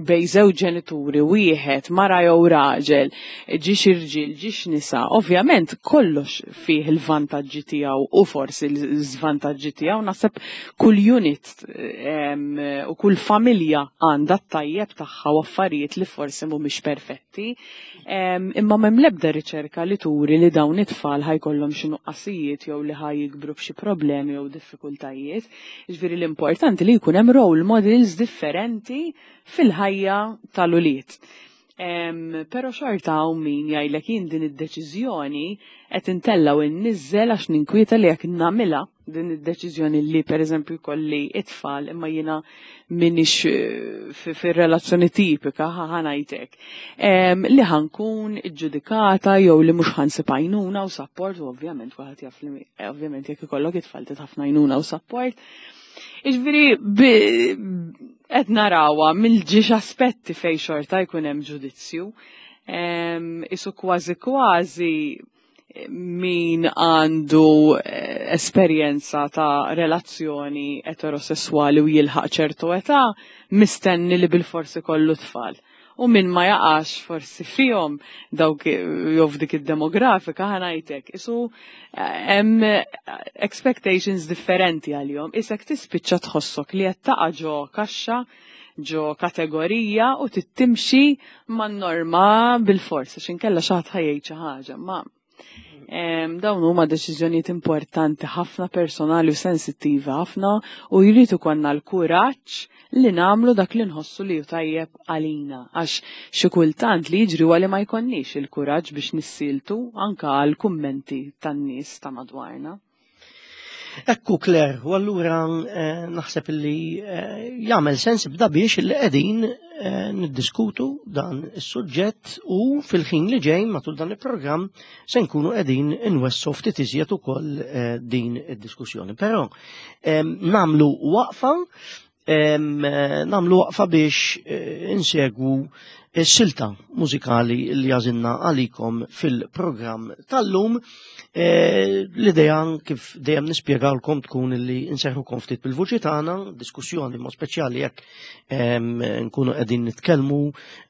B: bejn żewġ ġenituri wieħed, mara jew raġel, ġiex irġiel, ġiex nisa, ovvjament kollox fih il-vantaġġi tiegħu u forsi l-żvantaġġi tiegħu, naħseb kull unit u kull familja għandha t-tajjeb tagħha u affarijiet li forsi mhumiex perfetti. Imma m'hemm l-ebda riċerka li turi li dawn it-tfal ħa jkollhom xi nuqqasijiet jew li ħa jikbru b'xi problemi jew diffikultajiet. Jiġifieri l-importanti li jkun hemm role models differenti fil-ħajja tal-ulied. Però xorta hawn min jgħidlek jien din id-deċiżjoni qed intella' u nniżżel għax ninkwieta li jekk nagħmilha din id-deċiżjoni li pereżempju jkolli it-tfal imma jiena m'iniex fir-relazzjoni tipika ħa ngħidlek li ħa nkun iġġudikata jew li mhux ħa nsib għajnuna u support u ovvjament kulħadd jaf li ovvjament jekk ikollok it-tfal trid ħafna għajnuna u support. Jiġifieri qed narawha mill-ġiex aspetti fej xorta jkun hemm ġudizzju. Isu kważi kważi min għandu esperjenza ta' relazzjoni eterosessuali u jilħaq ċertu età mistenni li bil-forsi kollu tfal. U min ma jaqax forsi fihom dawk jew f'dik id-demografika ħa ngħidlek. Isu hemm expectations differenti għalihom. Isek tispiċċa tħossok li qed taqa' ġo kaxxa, ġo kategorija u tittimxi man-norma bil-forsa x'inkella xi ħadd ħa jgħid xi ħaġa. Ma dawn huma deċiżjonijiet importanti ħafna personali u sensittivi ħafna u jrid ikollna l-kuraġġ li nagħmlu dak li nħossu li hu tajjeb għalina għax xi kultant li jiġri huwa li ma jkollniex il-kuraġġ biex nissiltu anka għal kummenti tan-nies ta' madwarna.
A: Ekku Claire, u allura naħseb li jagħmel sens bda biex li qegħdin niddiskutu dan is-suġġett u fil-ħin li ġej matul dan il-programm se nkunu qegħdin inwessu ftit iżjed ukoll din id-diskussjoni. Però nagħmlu waqfa biex insegwu. silta mużikali li għażilna għalikom fil-programm tal-lum. E, l-idea kif dejjem nispjegawlkom tkun li nserħukom ftit bil-vuċi tagħna, diskussjoni mod speċjali jekk nkunu qegħdin nitkellmu,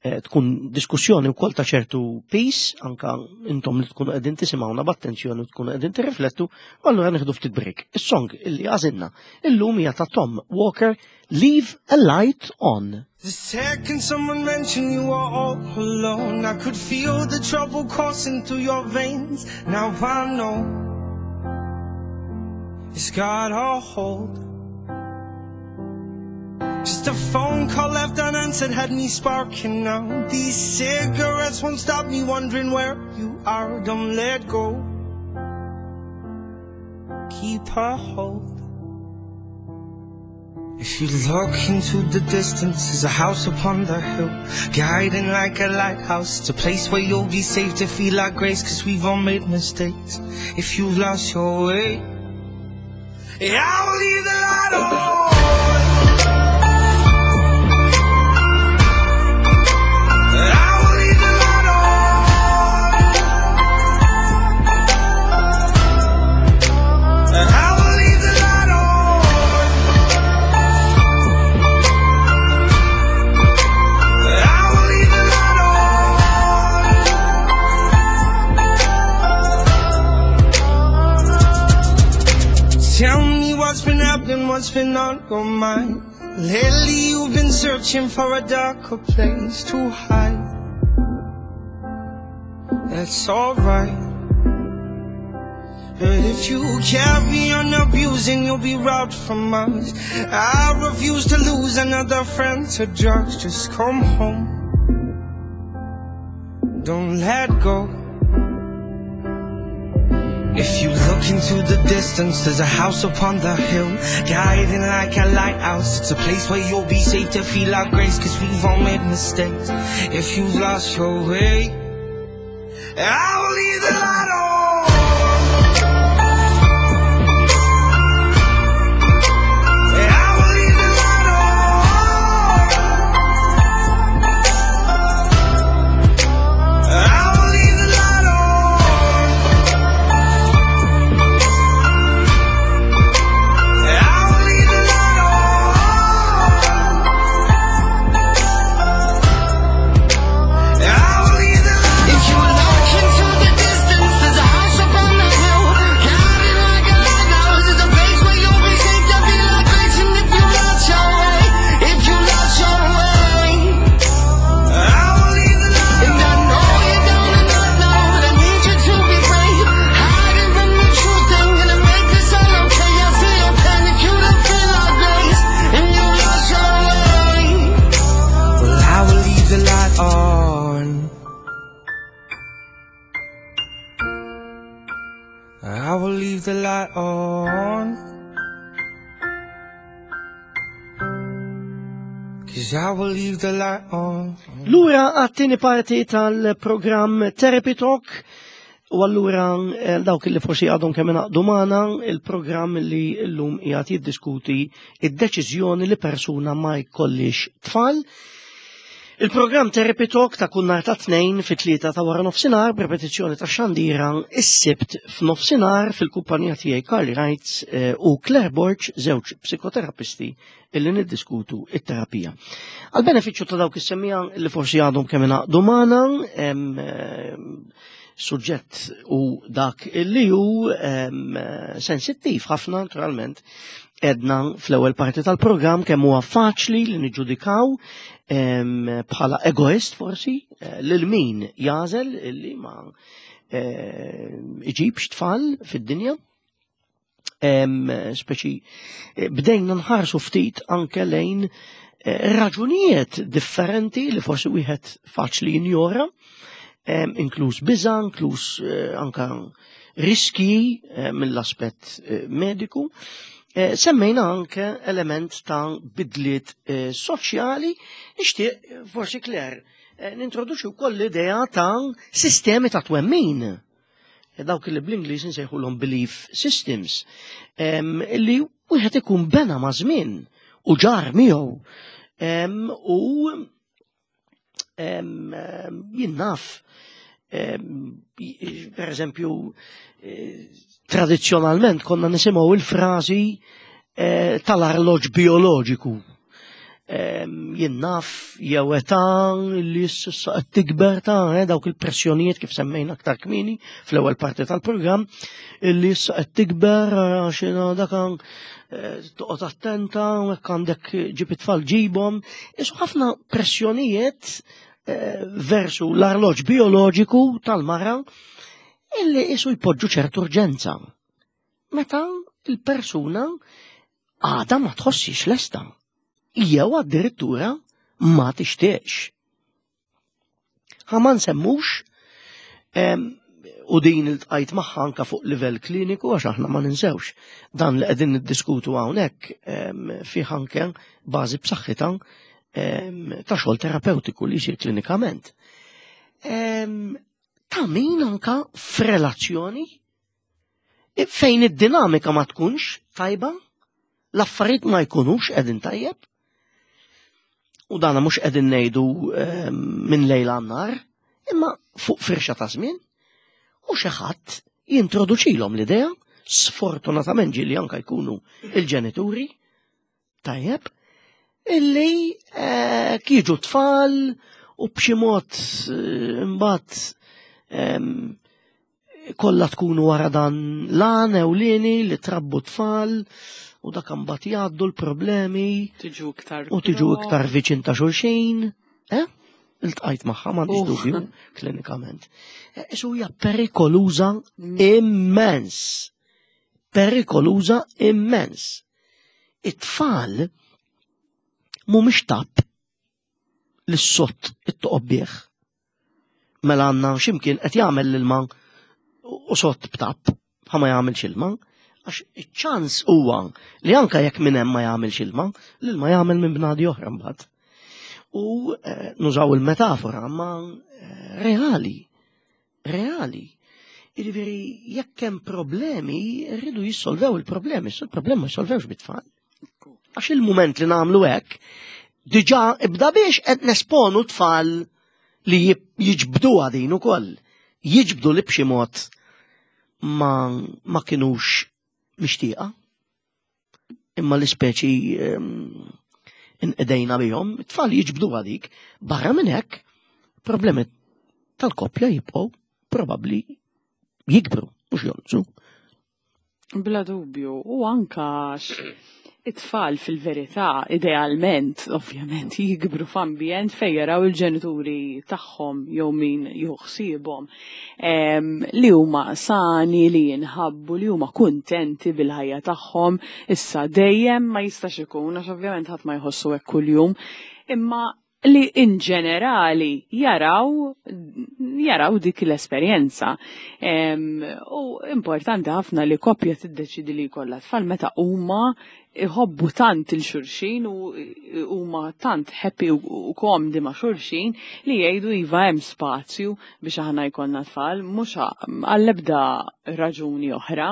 A: e, tkun diskussjoni wkoll ta' ċertu peace, anka intom li tkunu qegħdin tisimgħuna b'attenzjoni u tkunu qegħdin tirriflettu, u allura nieħdu ftit break. Is-song illi għażilna illum hija ta' Tom Walker Leave a Light On.
C: The second someone mentioned you were all alone, I could feel the trouble coursing through your veins. Now I know it's got a hold. Just a phone call left unanswered had me sparking now. These cigarettes won't stop me wondering where you are. Don't let go. Keep a hold. If you look into the distance, there's a house upon the hill, guiding like a lighthouse. It's a place where you'll be safe to feel like grace, cause we've all made mistakes. If you've lost your way, yeah, I will leave the light on. I will leave the light on. I will leave the light on. I will leave the light on. Tell me what's been happening, what's been on your mind. Lately you've been searching for a darker place to hide. That's alright. But if you carry on abusing, you'll be robbed from us. I refuse to lose another friend to drugs. Just come home. Don't let go. If you look into the distance, there's a house upon the hill, guiding like a lighthouse. It's a place where you'll be safe to feel our grace, cause we've all made mistakes. If you've lost your way, I will leave the light on. I will leave the light on. I will leave the light on. I will leave the light on. I will leave the light.
D: If you look into the distance, there's a house up on the hill, guiding like a lighthouse. It's a place where you'll be safe to feel like grace. And if you lost your way, if you lost your way,
C: I will leave the light
D: and I know you're down and out now, but I need you to be brave. Hiding from the truth ain't gonna make this all okay. I see your panic, you don't feel like grace, and you lost your way.
C: Well, I will leave the light on. I will leave the light on. Cause I will leave the light on.
A: Lura għat-tieni parti tal-programm Therapy Talk u allura eh, dawk li forsi għadhom kemm ingħaqdu magħna il-programm li llum qiegħed jiddiskuti id-deċiżjoni li persuna ma jkollix tfal. Il-programm Therapy Talk ta' kull nhar ta' tnejn fit-tlieta ta' wara nofsinhar b'repetizzjoni ta' xandira is-sibt f'nofsinhar fil-kumpanija tiegħi Carly Wrights eh, u Claire Borg, żewġ psikoterapisti illi niddiskutu it-terapija. Għal benefiċċju ta' dawk is-semmija li forsi għadhom kemm ingħaqdu magħna, suġġett u dak illi hu sensittiv ħafna naturalment edna fl-ewwel parti tal-programm kemm huwa faċli li niġġudikaw bħala egoist forsi eh, lil min jażel illi ma eh, iġibx tfal fid-dinja. Speċi eh, bdejna nħarsu ftit anke lejn raġunijiet differenti li forsi wieħed faċli jinjora, inkluż biża, inkluż anka riski mill-aspett mediku. Semmejna anke element ta' bidliet soċjali, nixtieq forsi Claire nintroduċi wkoll l-idea ta' sistemi ta' twemmin. Dawk li bl-Ingliż insejħulhom belief systems, li wieħed ikun bena ma' żmien u ġar miegħu. U Jien naf, per eżempju, eh, tradizzjonalment konna nisimgħu il-frażi eh, tal-arloġ bioloġiku. Jien naf jew età li issa qed tikber ta' eh, dawk il-pressjonijiet kif semmejna aktar kmieni fl-ewwel parti tal-programm illi issa qed tikber għax dak toqgħod attenta u hekk għandek ġib it-tfal ġibhom. Isu ħafna pressjonijiet eh, versu l-arloġ bioloġiku tal-mara illi isu jpoġġu ċertu urġenza. Meta il-persuna għada ma tħossix lesta. Jew addirittura ma tixtieqx. Ħa ma nsemmux u din il-tqajt magħha anka fuq livell kliniku għax aħna ma ninsewx dan li qegħdin niddiskutu hawnhekk fih anke bażi b'saħħitha ta' xogħol terapeutiku li jsir klinikament. Ta' min anka f'relazzjoni fejn id-dinamika ma tkunx tajba, l-affarijiet ma jkunux qegħdin tajjeb. U dana mhux qegħdin ngħidu ehm, minn lejl għan-nar, imma fuq firxa ta' żmien u xi ħadd jintroduċilhom l-idea, sfortunatament ġieli anka jkunu il-ġenituri, Tajjeb, illi eh, kieġu tfal u b'xi mod eh, imbagħad ehm, kollha tkun wara dan lan ewlieni li trabbu tfal u dak imbagħad jgħaddu l-problemi
B: tiġu iktar
A: u tiġu iktar viċin ta' xulxin. Eh? Iltqajt magħha m'għandix dubju klinikament. Eh, isu hija perikoluża mm. immens. Perikoluża immens. It-tfal mhumiex tapp li s-sott it-toqob bih. Mela għandna x'imkien qed jagħmel l-ilma u sott b'tapp ħa ma jagħmilx ilma, għax iċ-ċans huwa li anka jekk minn hemm ma jagħmilx ilma, l-ilma jagħmel minn bnadi oħra mbagħad. U eh, nużaw il-metafora ma eh, reali reali. Jiġifieri jekk hemm problemi, rridu jissolvew il-problemi, il-problemi ma jissolvewx bit-tfal. Għax il-mument li nagħmlu hekk, diġà ibda biex qed nesponu tfal li jiġbdu din ukoll. Jiġbdu li b'xi mod ma, ma kinux mixtieqa. Imma l-ispeċi ehm, inqedejna bihom, it-tfal jiġbdu għadik, barra minn hekk, problemi tal-koppja jibqgħu probabbli jikbru, mhux jonqsu.
B: Bla dubju, u anka it-tfal fil-verità, idealment, ovvjament, jikbru f'ambjent fejn jaraw il-ġenituri tagħhom jew min jieħu ħsiebhom li huma sani, li jinħabbu, li huma kuntenti bil-ħajja tagħhom. Issa dejjem ma jistax ikun għax ovvjament ħadd ma jħossu hekk kuljum, imma li in ġenerali jaraw jaraw dik l-esperjenza. U importanti ħafna li koppja tiddeċidi li jkollha tfal meta huma iħobbu tant il xulxin u huma tant happy u komdi ma' xulxin li jgħidu iva hemm spazju biex aħna jkollna tfal, mhux għall-ebda raġuni oħra.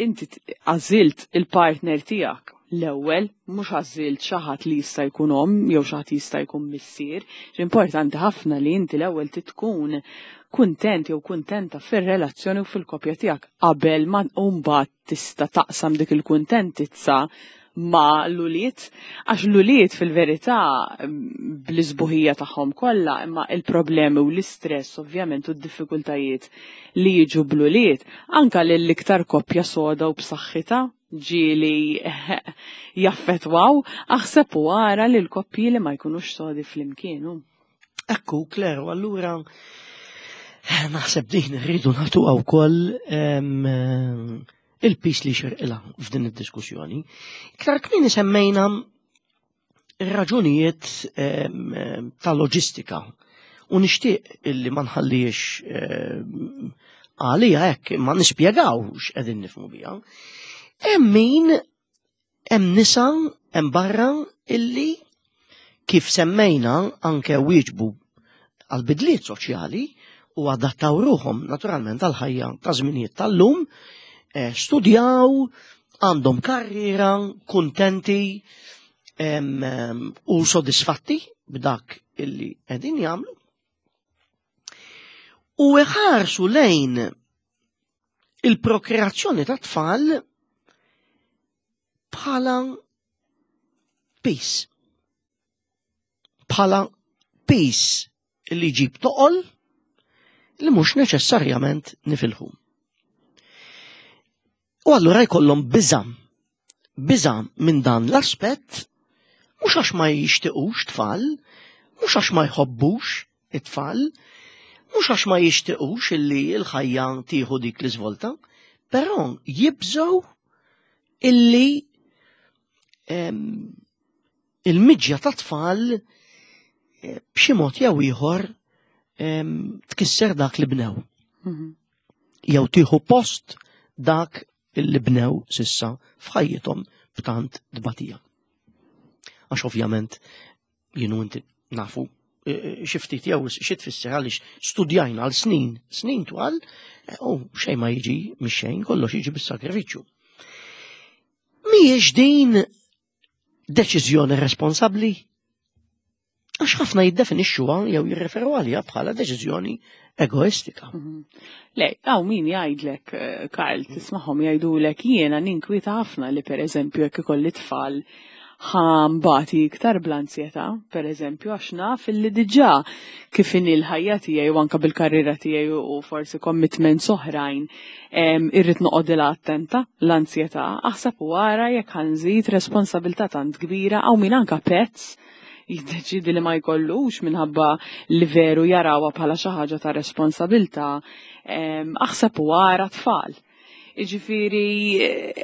B: Inti għażilt il-partner tiegħek l-ewwel, mhux għażilt xi ħadd li jista' jkun omm jew xi ħadd jista' jkun missier. Importanti ħafna li inti l-ewwel tkun kuntent jew kuntenta fir-relazzjoni u fil-koppja tiegħek qabel ma mbagħad tista' taqsam dik il-kuntentizza ma l-ulied, għax l-ulied fil-verità bl-isbuħija tagħhom kollha, imma il-problemi u l-istress ovvjament u d-diffikultajiet li jiġu bl-ulied, anka lill-iktar koppja soda u b'saħħitha ġieli jaffetwaw, aħseb u ara li l-koppji li ma jkunux sodi flimkien.
A: Ekku, Claire, u allura eh, naħseb din rridu nagħtuha wkoll il-pis li xirqilha f'din id-diskussjoni. Iktar kmieni semmejna raġunijiet ta' loġistika u nixtieq illi ma nħallix għalija hekk imma nispjegaw x'qegħdin nifhmu biha. Hemm min Hemm nisa hemm barra illi kif semmejna anke wieġbu għal bidliet soċjali u adattaw ruħhom naturalment għal ħajja ta' żminijiet tal-lum, eh, studjaw, għandhom karriera, kuntenti u sodisfatti. b'dak illi qegħdin jagħmlu u iħarsu lejn il-prokreazzjoni ta' tfal bħala pis. Bħala pis li jġib toqol li mhux neċessarjament nifilħu. U allura jkollhom biża' biża' minn dan l-aspett mhux għax ma jixtiqux tfal, mhux għax ma jħobbux it-tfal, mhux għax ma jixtiqux illi l-ħajja tieħu dik l-iżvolta, però jibżgħu illi il-miġja ta' tfal eh, b'xi mod jew ieħor tkisser dak li bnew. Mhm. Jew tieħu post dak li bnew sissa f'ħajjithom b'tant tbatija. Għax ovvjament jienu inti nafu e, e, xi ftit jew xi tfisser għaliex studjajna għal snin, snin twal, e, u xejn ma jiġi mix-xejn, kollox jiġi bis-sagrifiċċju. Mhijiex din deċiżjoni responsabbli? Għax ħafna jiddefinixxuha jew jirreferu għaliha bħala deċiżjoni egoistika. Mhm.
B: Le, għaw min jgħidlek, eh, Karl, tismagħhom jgħidulek jiena ninkwieta ħafna li pereżempju jekk ikolli tfal ħambati iktar bl-ansjetà, per eżempju, għax naf illi diġà kif inhi l-ħajja tiegħi u anke bil-karriera tiegħi u forsi commitments oħrajn irrid noqogħdilha attenta l-ansjetà, aħseb u ara jekk ħanżid responsabilità tant kbira hawn min anke pets jiddeċidi li ma jkollux minħabba li veru jarawha bħala xi ħaġa ta' responsabilità, aħseb u ara tfal. Iġifiri,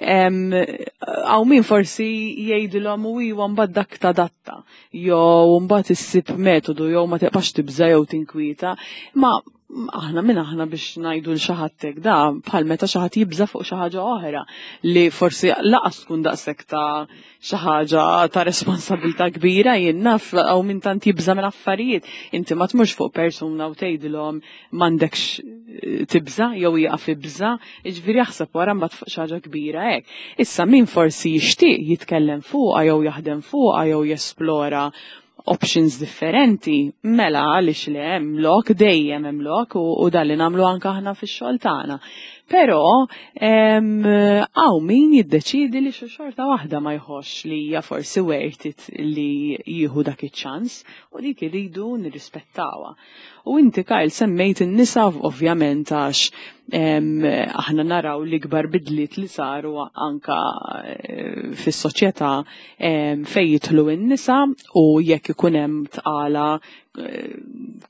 B: għaw min forsi jgħidilhom u iwa mbagħad dak tadatta, jew mbagħad issib metodu jew ma tibqax tibża jew tinkwieta, ma aħna minn aħna biex ngħidu l xi ħadd hekk da bħal meta xi ħadd jibża fuq xi ħaġa oħra li forsi laqas tkun daqshekk ta' xi ħaġa ta' responsabilità kbira jien naf hawn min tant jibża minn affarijiet. Inti ma tmurx fuq persuna u tgħidilhom m'għandekx eh, tibża jew jieqaf ibża, jiġifieri jaħseb wara mbagħad fuq xi ħaġa kbira hekk. Issa min forsi jixtieq jitkellem fuqha jew jaħdem fuqha jew jesplora options differenti, mela għaliex le hemm lok dejjem hemm lok u, u dan li nagħmlu anke aħna fix-xogħol tagħna. Però hawn min jiddeċiedi li xi xorta waħda ma jħossx li hija forsi worth it li jieħu dak iċ-ċans u dik irridu nirrispettawha. U inti Kyle semmejt in-nisa ovvjament għax aħna naraw l-ikbar bidliet li saru anka eh, fis-soċjetà fejn jidħlu n-nisa u jekk ikun hemm tqala eh,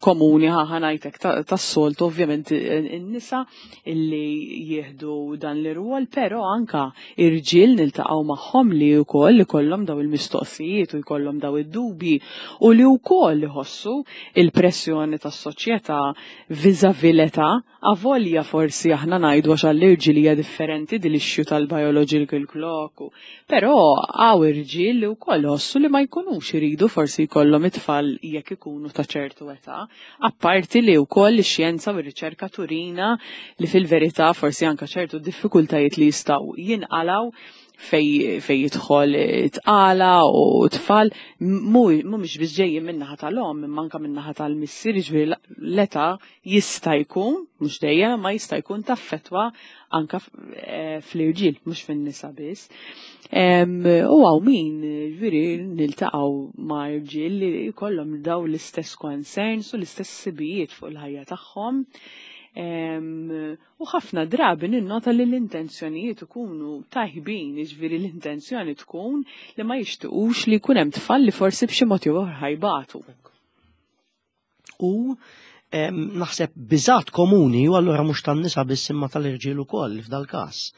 B: komuni ħa ngħidlek tas-soltu ovvjament in-nisa illi jieħdu dan l-irwol, però anka irġiel niltaqgħu magħhom li wkoll ikollhom daw il-mistoqsijiet u jkollhom daw id-dubji u li wkoll iħossu il-pressjoni tas-soċjetà vis-à-vis l-età, avolja forsi aħna ngħidu għax għall-irġiel hija differenti din l-issue tal-biological clock, però hawn irġiel li wkoll iħossu li ma jkunux iridu forsi jkollhom it-tfal jekk ikunu ta' ċertu età. Apparti li wkoll ix-xjenza u r-riċerka turina li fil-verità forsi anke ċertu diffikultajiet li jistgħu jinqalgħu fej, fej jidħol tqala u tfal mhumiex biss ġejjin min-naħa tal-omm imma anke min-naħa tal-missier, jiġifieri l-età jista' jkun, mhux dejjem, ma jista' jkun taffettwa anka eh, fl-irġiel, mhux fin-nisa biss. U għaw min, ġviri, niltaqgħu ma' irġiel li jkollhom daw l-istess concerns u l-istess sibijiet fuq il-ħajja tagħhom. U ħafna drabi ninnota li l-intenzjonijiet ikunu tajbin, jiġifieri l-intenzjoni tkun li ma jixtiqux li jkun hemm tfal li forsi b'xi mod jew ieħor ħajbatu.
A: U naħseb biżat komuni u allura mhux tan-nisa biss imma tal-irġiel ukoll f'dal-każ.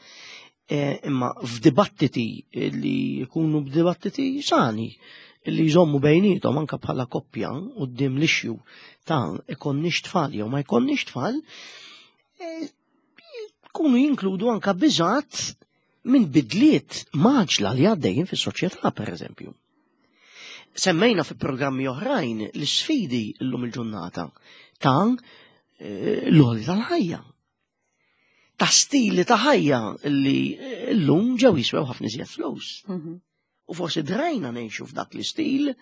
A: E, imma f'dibattiti li jkunu b'dibattiti sani li jżommu bejnietom anka bħala koppja quddiem l-issue ta' ikonniex tfal jew ma jkonniex tfal, e, kunu jinkludu anka biżat minn bidliet maġla li għaddejjin fis-soċjetà pereżempju. Semmejna fi programmi oħrajn l-sfidi llum il-ġurnata ta' eh, l-għoli tal-ħajja. Ta' stili ta' ħajja li llum ġew jiswew ħafna iżjed flus. Mhm. U forsi drajna ngħixu f'dak l-istil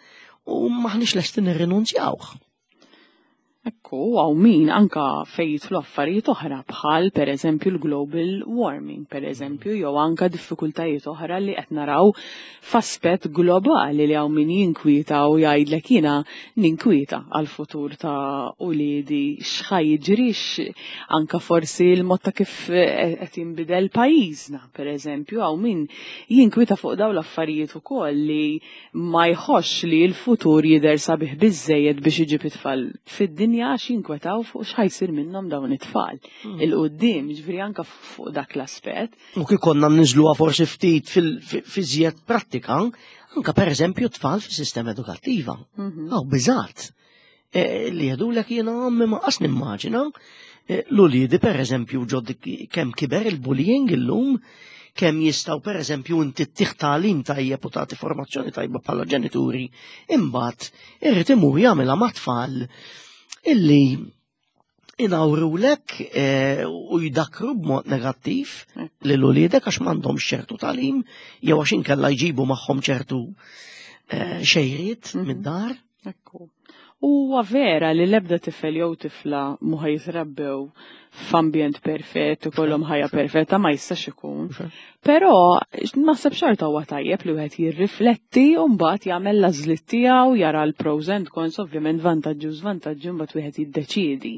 A: u maħniex lesti nirrinunzjawh.
B: Ekku, hawn min anka fejn jidħlu affarijiet oħra bħal pereżempju l-global warming, pereżempju, jew anka diffikultajiet oħra li qed naraw f'aspett globali li hawn min jinkwieta u jgħidlek jiena ninkwieta għall-futur ta' uliedi x'ħa jiġri anka forsi l-mod ta' kif qed jinbidel pajjiżna, pereżempju, hawn min jinkwieta fuq dawn l-affarijiet ukoll li ma jħossx li l-futur jidher sabiħ biżżejjed biex iġib it-tfal fid-dinja għax jinkwetaw fuq x'ħa jsir minnhom dawn it-tfal 'il quddiem, jiġifieri anke fuq dak l-aspett.
A: U kif konna nniżluha forsi ftit fil-iżjed prattika, anke pereżempju t-tfal fis-sistema edukattiva. Hawn biżgħat li jgħidulek jiena ommi ma qas nimmaġina l-uliedi pereżempju ġod kemm kiber il-bullying illum, kemm jistgħu pereżempju inti ttih tagħlim tajjeb u tagħti formazzjoni tajba bħala ġenituri, imbagħad irid imur jagħmilha mat-tfal illi inawrulek u jdakru b'mod negattiv lil uliedek għax m'għandhomx ċertu tagħlim jew għax inkella jġibu magħhom ċertu xejriet mid-dar.
B: Ekku. Huwa vera li l-ebda tifel jew tifla mhu ħa jitrabbew f'ambjent perfett, ikollhom ħajja perfetta, ma jistax ikun. Però naħseb xorta huwa tajjeb li wieħed jirrifletti u mbagħad jagħmel l-għażliet tiegħu, jara l-pros and cons, ovvjament vantaġġi u żvantaġġi mbagħad wieħed jiddeċiedi.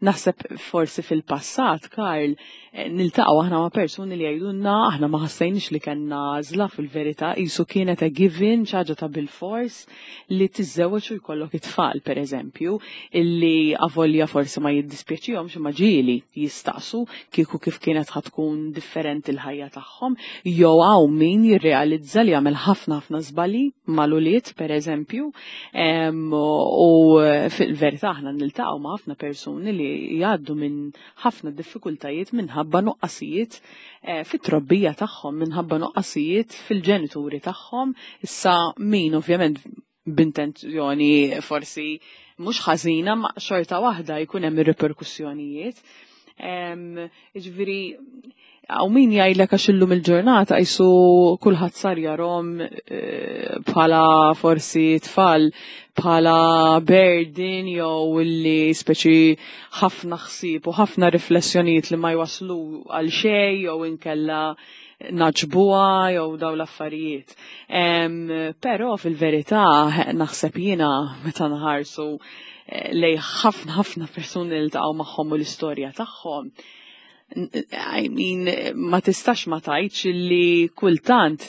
B: Naħseb forsi fil-passat, Karl, niltaqgħu aħna ma' persuni li jgħidulna aħna ma ħassejniex li kellna għażla fil-verità, qisu kienet a given, xi ħaġa ta' bilfors li tiżżewweġ u jkollok it-tfal, pereżempju, illi avolja forsi ma jiddispjaċihomx imma ġieli jistaqsu kieku kif kienet ħa tkun differenti l-ħajja tagħhom, jew hawn min jirrealizza li għamel ħafna ħafna żbalji mal-ulied, pereżempju, u fil-verità aħna niltaqgħu ma' ħafna persuni li jgħaddu minn ħafna diffikultajiet minħabba nuqqasijiet fit-trobbija tagħhom, minħabba nuqqasijiet fil-ġenituri tagħhom. Issa min ovvjament b'intenzjoni forsi mhux ħażina ma xorta waħda jkun hemm ir-riperkussjonijiet. Jiġifieri hawn min jgħidlek għax illum il-ġurnata qisu kulħadd sar jarhom bħala forsi tfal bħala burden jew illi speċi ħafna ħsieb u ħafna riflessjonijiet li ma jwaslu għal xejn jew inkella naġbuha jew daw l-affarijiet. Però fil-verità naħseb jiena meta nħarsu lej ħafna ħafna persuni li ltaqgħu magħhom u l-istorja tagħhom, I mean, ma tistax ma tgħidx li kultant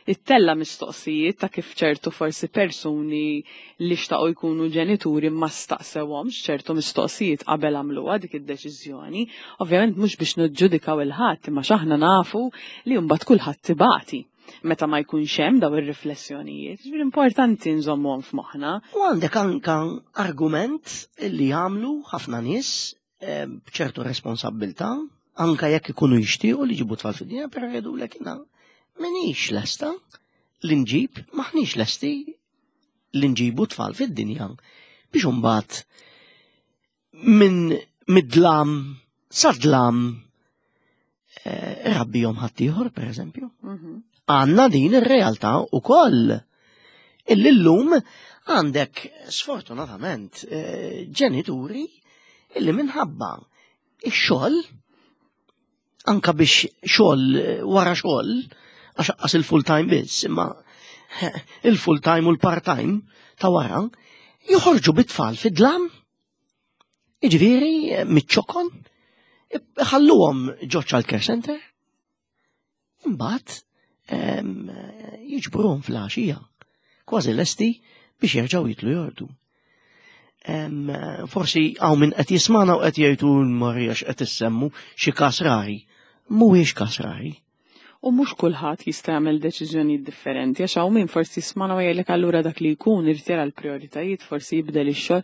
B: ittella mistoqsijiet ta' kif ċertu forsi persuni li xtaqu jkunu ġenituri ma staqsewhomx ċertu mistoqsijiet qabel għamluha dik id-deċiżjoni. Ovvjament mhux biex niġġudikaw il-ħadd, imma x'aħna nafu li mbagħad kulħadd tibati meta ma jkunx hemm daw ir-riflessjonijiet. Ġifieri importanti nżommuhom f'moħħna.
A: U għandek anka argument li jagħmlu ħafna nies b'ċertu responsabbiltà, anka jekk ikunu jixtiequ li jġibu tfal fid-dinja, però jgħidulek jiena m'iniex lesta li nġib, m'aħniex lesti li nġibu tfal fid-dinja biex imbagħad minn mid-dlam sa dlam rabbihom ħaddieħor, pereżempju. Għandna din ir-realtà ukoll. Illi llum għandek sfortunatament ġenituri illi minħabba ix-xogħol, anka biex xogħol wara xogħol, għax aqqas il-full time biss, imma il-full time u l-part time ta' wara, joħorġu bit-tfal fid-dlam, jiġifieri miċ-ċokon, ħalluhom ġo child care center, imbagħad jiġbruhom fl-għaxija, kważi lesti biex jerġgħu jitlu jordu. Forsi hawn min qed jismana u qed jgħidu Marija x'qed issemmu xi każ rari. Mhuwiex każ rari.
B: U mhux kulħadd jista' jagħmel deċiżjonijiet differenti, għax hawn min forsi jismana u jgħidlek allura dak li jkun irid jara l-prijoritajiet, forsi jibdel ix-xogħol.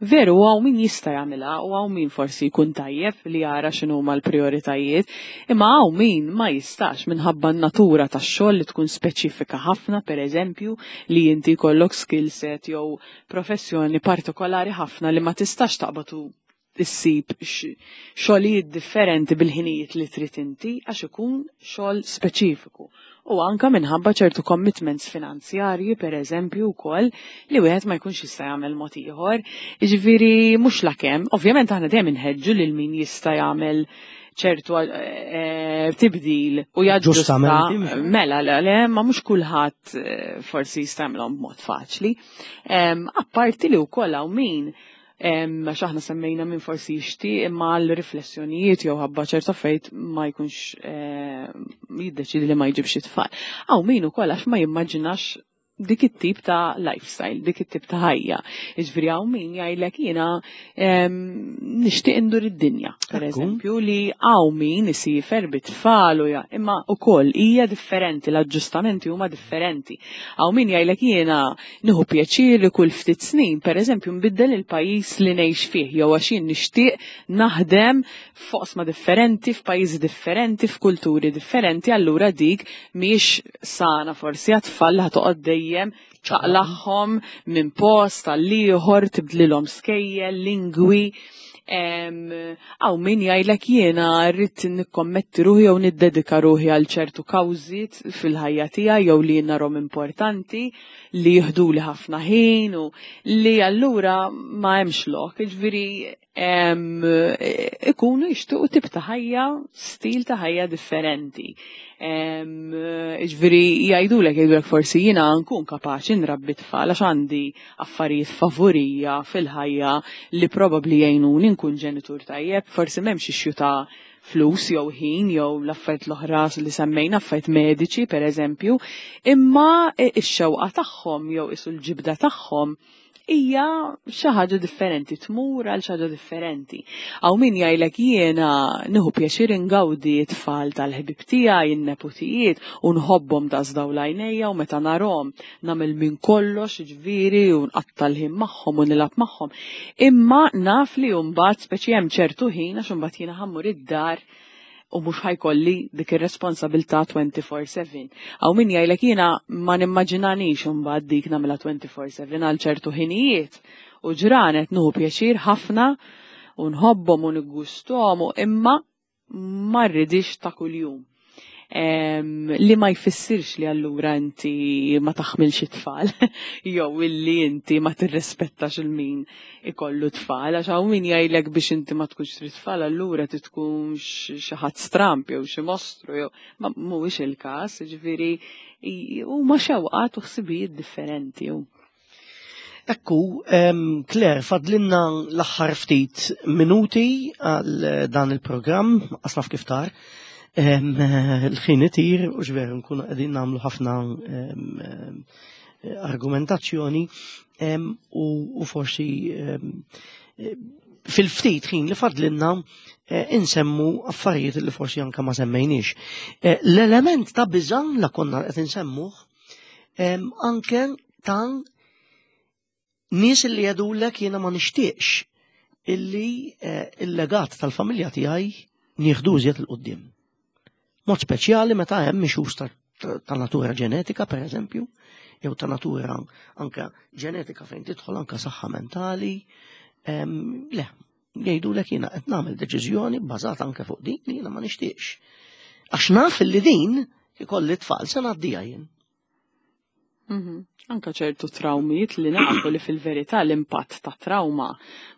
B: Veru, hawn min jista' jagħmilha u hawn min forsi jkun tajjeb li jara x'inhuma l-prijoritajiet, imma hawn min ma jistax minħabba n-natura tax-xogħol li tkun speċifika ħafna, pereżempju, li inti jkollok skill set jew professjoni partikolari ħafna li ma tistax taqbad u issib xogħlijiet differenti bil-ħinijiet li trid inti għax ikun xogħol speċifiku. U anka minħabba ċertu commitments finanzjarji, per eżempju, wkoll li wieħed ma jkunx jista' jagħmel mod ieħor. Jiġifieri mhux lakemm, ovvjament aħna dejjem inħeġġu lil min jista' jagħmel ċertu tibdil u jaġġusta. Mela, le, ma mhux kulħadd forsi jista' jagħmilhom b'mod faċli. Apparti li wkoll hawn min għax aħna semmejna minn forsi jixtieq imma għal riflessjonijiet jew ħabba ċerta fejt ma jkunx jiddeċidi li ma jġibx it-tfal. Hawn min ukoll għax ma jimmaġinax dik it-tip ta' lifestyle, dik it-tip ta' ħajja. Jiġifieri hawn min jgħidlek jiena nixtieq indur id-dinja, per eżempju, li hawn min isifer bit-tfal u imma wkoll hija differenti, l-aġġustamenti huma differenti. Hawn min jgħidlek jiena nieħu pjaċir li kull ftit snin, per eżempju, nbiddel il-pajjiż li ngħix fih, jew għax jien nixtieq naħdem f'oqsma differenti, f'pajjiżi differenti, f'kulturi differenti, allura dik mhijiex sana forsi għat-tfal li ħatoqgħod dejjem ċaqlaħħom minn post għal ieħor, tibdlilhom skejjel, lingwi. Hawn min jgħidlek jiena rrid nikkommetti ruħi jew niddedika ruħi għal ċertu kawżiet fil-ħajja tiegħi jew li jien narhom importanti li jieħduli ħafna ħin u li allura ma hemmx lok. Jiġifieri ikunu jixtiequ tip ta' ħajja, stil ta' ħajja differenti. Jiġifieri jgħidulek forsi jiena nkun kapaċi nrabbi tfal għax għandi affarijiet favorija fil-ħajja li probabbli jgħinuni nkun ġenitur tajjeb, forsi m'hemmx issue ta' flus jew ħin jew l-affarijiet l-oħra li semmejna, affarijiet mediċi per eżempju, imma x-xewqa tagħhom jew isu l-ġibda tagħhom hija xi ħaġa differenti, tmur għal xi ħaġa differenti. Hawn min jgħidlek jiena nieħu pjaċir ingawdi t-tfal tal-ħbieb tiegħi, in-neputijiet, u nħobbhom daqs dawl għajnejja u meta narhom nagħmel minn kollox, jiġifieri, u nqatta' l-ħin magħhom u nilgħab magħhom. Imma naf li mbagħad speċi hemm ċertu ħin għax imbagħad jiena ħammur id-dar u mhux ħajkolli dik ir-responsabilità 24/7. Hawn min jgħidlek jiena ma nimmaġinanix imbagħad dik nagħmilha 24/7 għal ċertu ħinijiet u ġranet nieħu pjaċir ħafna u nħobbhom u niggusthom imma ma rridix ta' kuljum. Li ma jfissirx li allura inti ma taħmilx it-tfal jew illi inti ma tirrispettax il-min ikollu tfal, għax hawn min jgħidlek biex inti ma tkunx trid tfal allura ti tkun xi ħadd stramp jew xi mostru jew ma mhuwiex il-każ, jiġifieri huma xewqat u ħsibijiet differenti.
A: Ekku, Claire, fadlinna l-aħħar ftit minuti għal dan il-programm, asnaf kif tar. Il-ħin itir u ġveru nkunu qegħdin nagħmlu ħafna argumentazzjoni u forsi fil-ftit ħin li fadlinna insemmu affarijiet li forsi anke ma semmejniex. L-element ta' biża' la konna qed insemmuh anke ta' nies li jgħidulek jiena ma nixtieqx illi il-legat tal-familja tiegħi nieħdu iżjed 'il quddiem. Mod speċjali meta hemm issues ta' natura ġenetika, per eżempju, jew ta' natura anka ġenetika fejn tidħol anka saħħa mentali. Le, jgħidulek jiena qed nagħmel deċiżjoni bbażata anke fuq din li jiena ma nixtieqx. Għax naf li din ikolli tfal se ngħaddiha jien.
B: Anka ċertu trawmiet li nafu li fil-verità l-impatt ta' trauma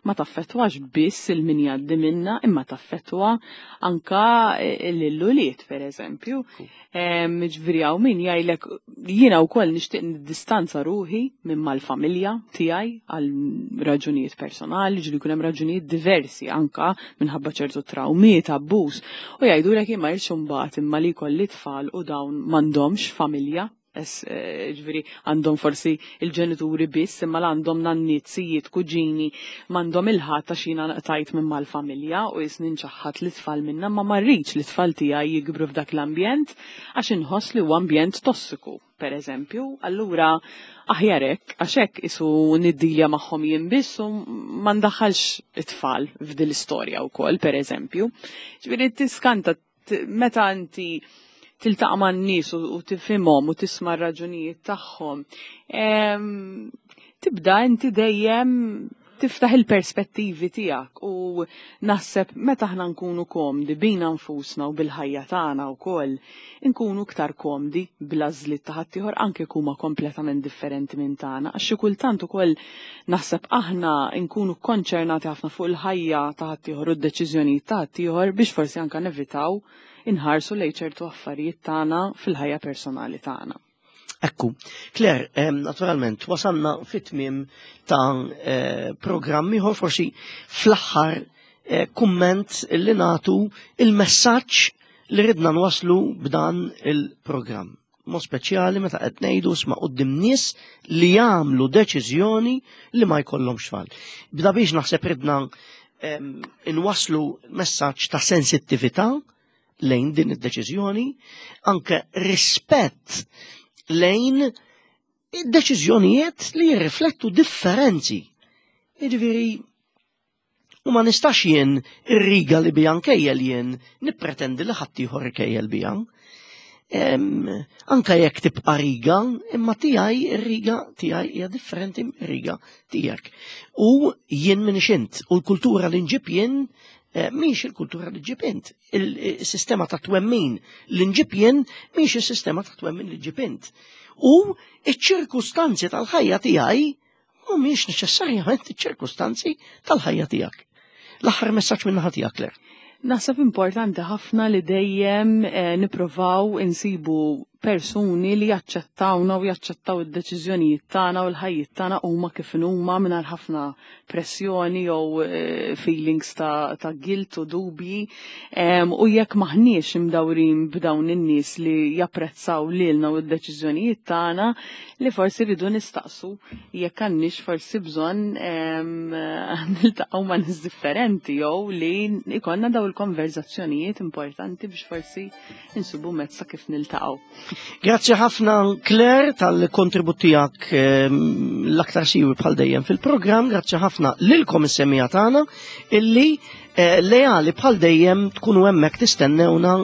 B: ma taffettwax biss il-min jgħaddi minna, imma taffettwa anka l-ulied, per eżempju. Ġifieri hawn min jgħidlek jiena wkoll nixtieq niddistanza ruħi minn mal-familja tiegħi għal raġunijiet personali, ġieli jkun hemm raġunijiet diversi anka minħabba ċertu trawmiet, abbuż. U jgħidulek jien ma rridx imbagħad imma li jkolli tfal u dawn m'għandhomx familja. Ġifieri għandhom forsi il-ġenituri biss, imma għandhom nanniet, sijiet, kuġini, m'għandhom il-ħadd għax jiena nqtajt minn mal-familja u jisni nċaħħad l-itfal minna, ma ma rridx l-itfal tiegħi jikbru f'dak l-ambjent għax inħoss li huwa ambjent tossiku, per eżempju. Allura aħjar hekk, għax hekk isu niddilja magħhom jien biss u ma ndaħħalx it-tfal f'din l-istorja wkoll, per eżempju. Ġifieri tiskanta meta inti tiltaqa' man-nies u tifhimhom u tisma' r-raġunijiet tagħhom, tibda inti dejjem Tiftaħ il-perspettivi tiegħek u naħseb meta aħna nkunu komdi bina nfusna u bil-ħajja tagħna wkoll, inkunu iktar komdi bl-għażliet ta' ħaddieħor anke jekk huma kompletament differenti minn tagħna. Għax xi kultant ukoll naħseb aħna nkunu konċernati ħafna fuq il-ħajja ta' ħaddieħor u d-deċiżjonijiet ta' ħaddieħor biex forsi anke nevitaw inħarsu lejn ċertu affarijiet tagħna fil-ħajja personali tagħna.
A: Ekku, Claire, naturalment, wasalna fit-tmiem ta' programm ieħor, forsi fl-aħħar kumment li natu il-messaġġ li ridna nwaslu b'dan il-programm. Mod speċjali meta qed ngħidu sma' quddiem nies li jagħmlu deċiżjoni li ma jkollhomx tfal. Bda biex naħseb ridna inwasslu messaġġ ta' sensittività lejn din id-deċiżjoni, anke rispett lejn deċiżjonijiet li jirriflettu differenzi. Jiġifieri, u ma nistax jien ir-riga li bija nkejjel jien nippretendi li ħaddieħor ikejjel bija. Anka jekk tibqa' riga, imma tiegħi ir-riga tiegħi hija differenti mir-riga tiegħek. U jien minix int, u l-kultura li nġib jien mhix il-kultura li ġib int. Il-sistema ta' twemmin li nġib jien mhix is-sistema ta' twemmin li ġib int. U iċ-ċirkustanzi tal-ħajja tiegħi mhumiex neċessarjament iċ-ċirkustanzi tal-ħajja tiegħek. L-aħħar messaġġ minn naħa tiegħek, Claire.
B: Naħseb importanti ħafna li dejjem nipprovaw insibu persuni li jaċċettawna u jaċċettaw id-deċiżjonijiet tagħna u l-ħajjiet tagħna huma kif huma mingħajr ħafna pressjoni jew feelings ta' guilt u dubji. U jekk maħniex imdawrin b'dawn in-nies li japprezzaw lilna u d-deċiżjonijiet tagħna, li forsi rridu nistaqsu jekk għandniex forsi bżonn niltaqgħu ma' nies differenti jew li ikollna daw il-konverzazzjonijiet importanti biex forsi insibu mezz ta' kif niltaqgħu.
A: Grazzi ħafna Claire tal-kontribut tiegħek l-aktar siwi bħal dejjem fil-programm, grazzi ħafna lilkom is-semija tagħna illi leali bħal dejjem tkunu hemmhekk tistennewna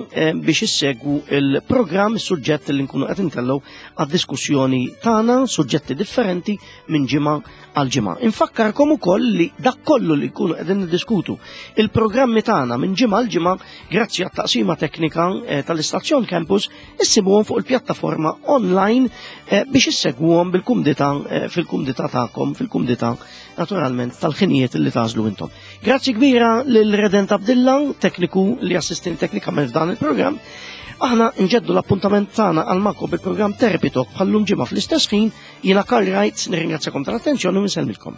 A: biex issegwu il-programm, is-suġġett li nkunu qed intellgħu għad-diskussjoni tagħna, suġġetti differenti minn ġimgħa għal ġimgħa. Infakkarkom ukoll li dak kollu li nkunu qegħdin niddiskutu il-programmi tagħna minn ġimgħa għal ġimgħa grazzi għat-taqsima teknika tal-Istazzjon Campus issibuhom fuq il-pjattaforma online biex issegwuhom bil-kumdità fil-kumdità tagħkom, fil-kumdità naturalment tal-ħinijiet li tagħżlu intom. Grazzi kbira lil Redent Abdilla, tekniku li assistin teknikament f'dan il-programm. Aħna nġeddu l-appuntament tagħna għal Mako bil-programm Therapy Talk bħallum ġimgħa fl-istess ħin. Jiena Karl Wright, nirringrazzjakom tal-attenzjoni u nsellmilkom.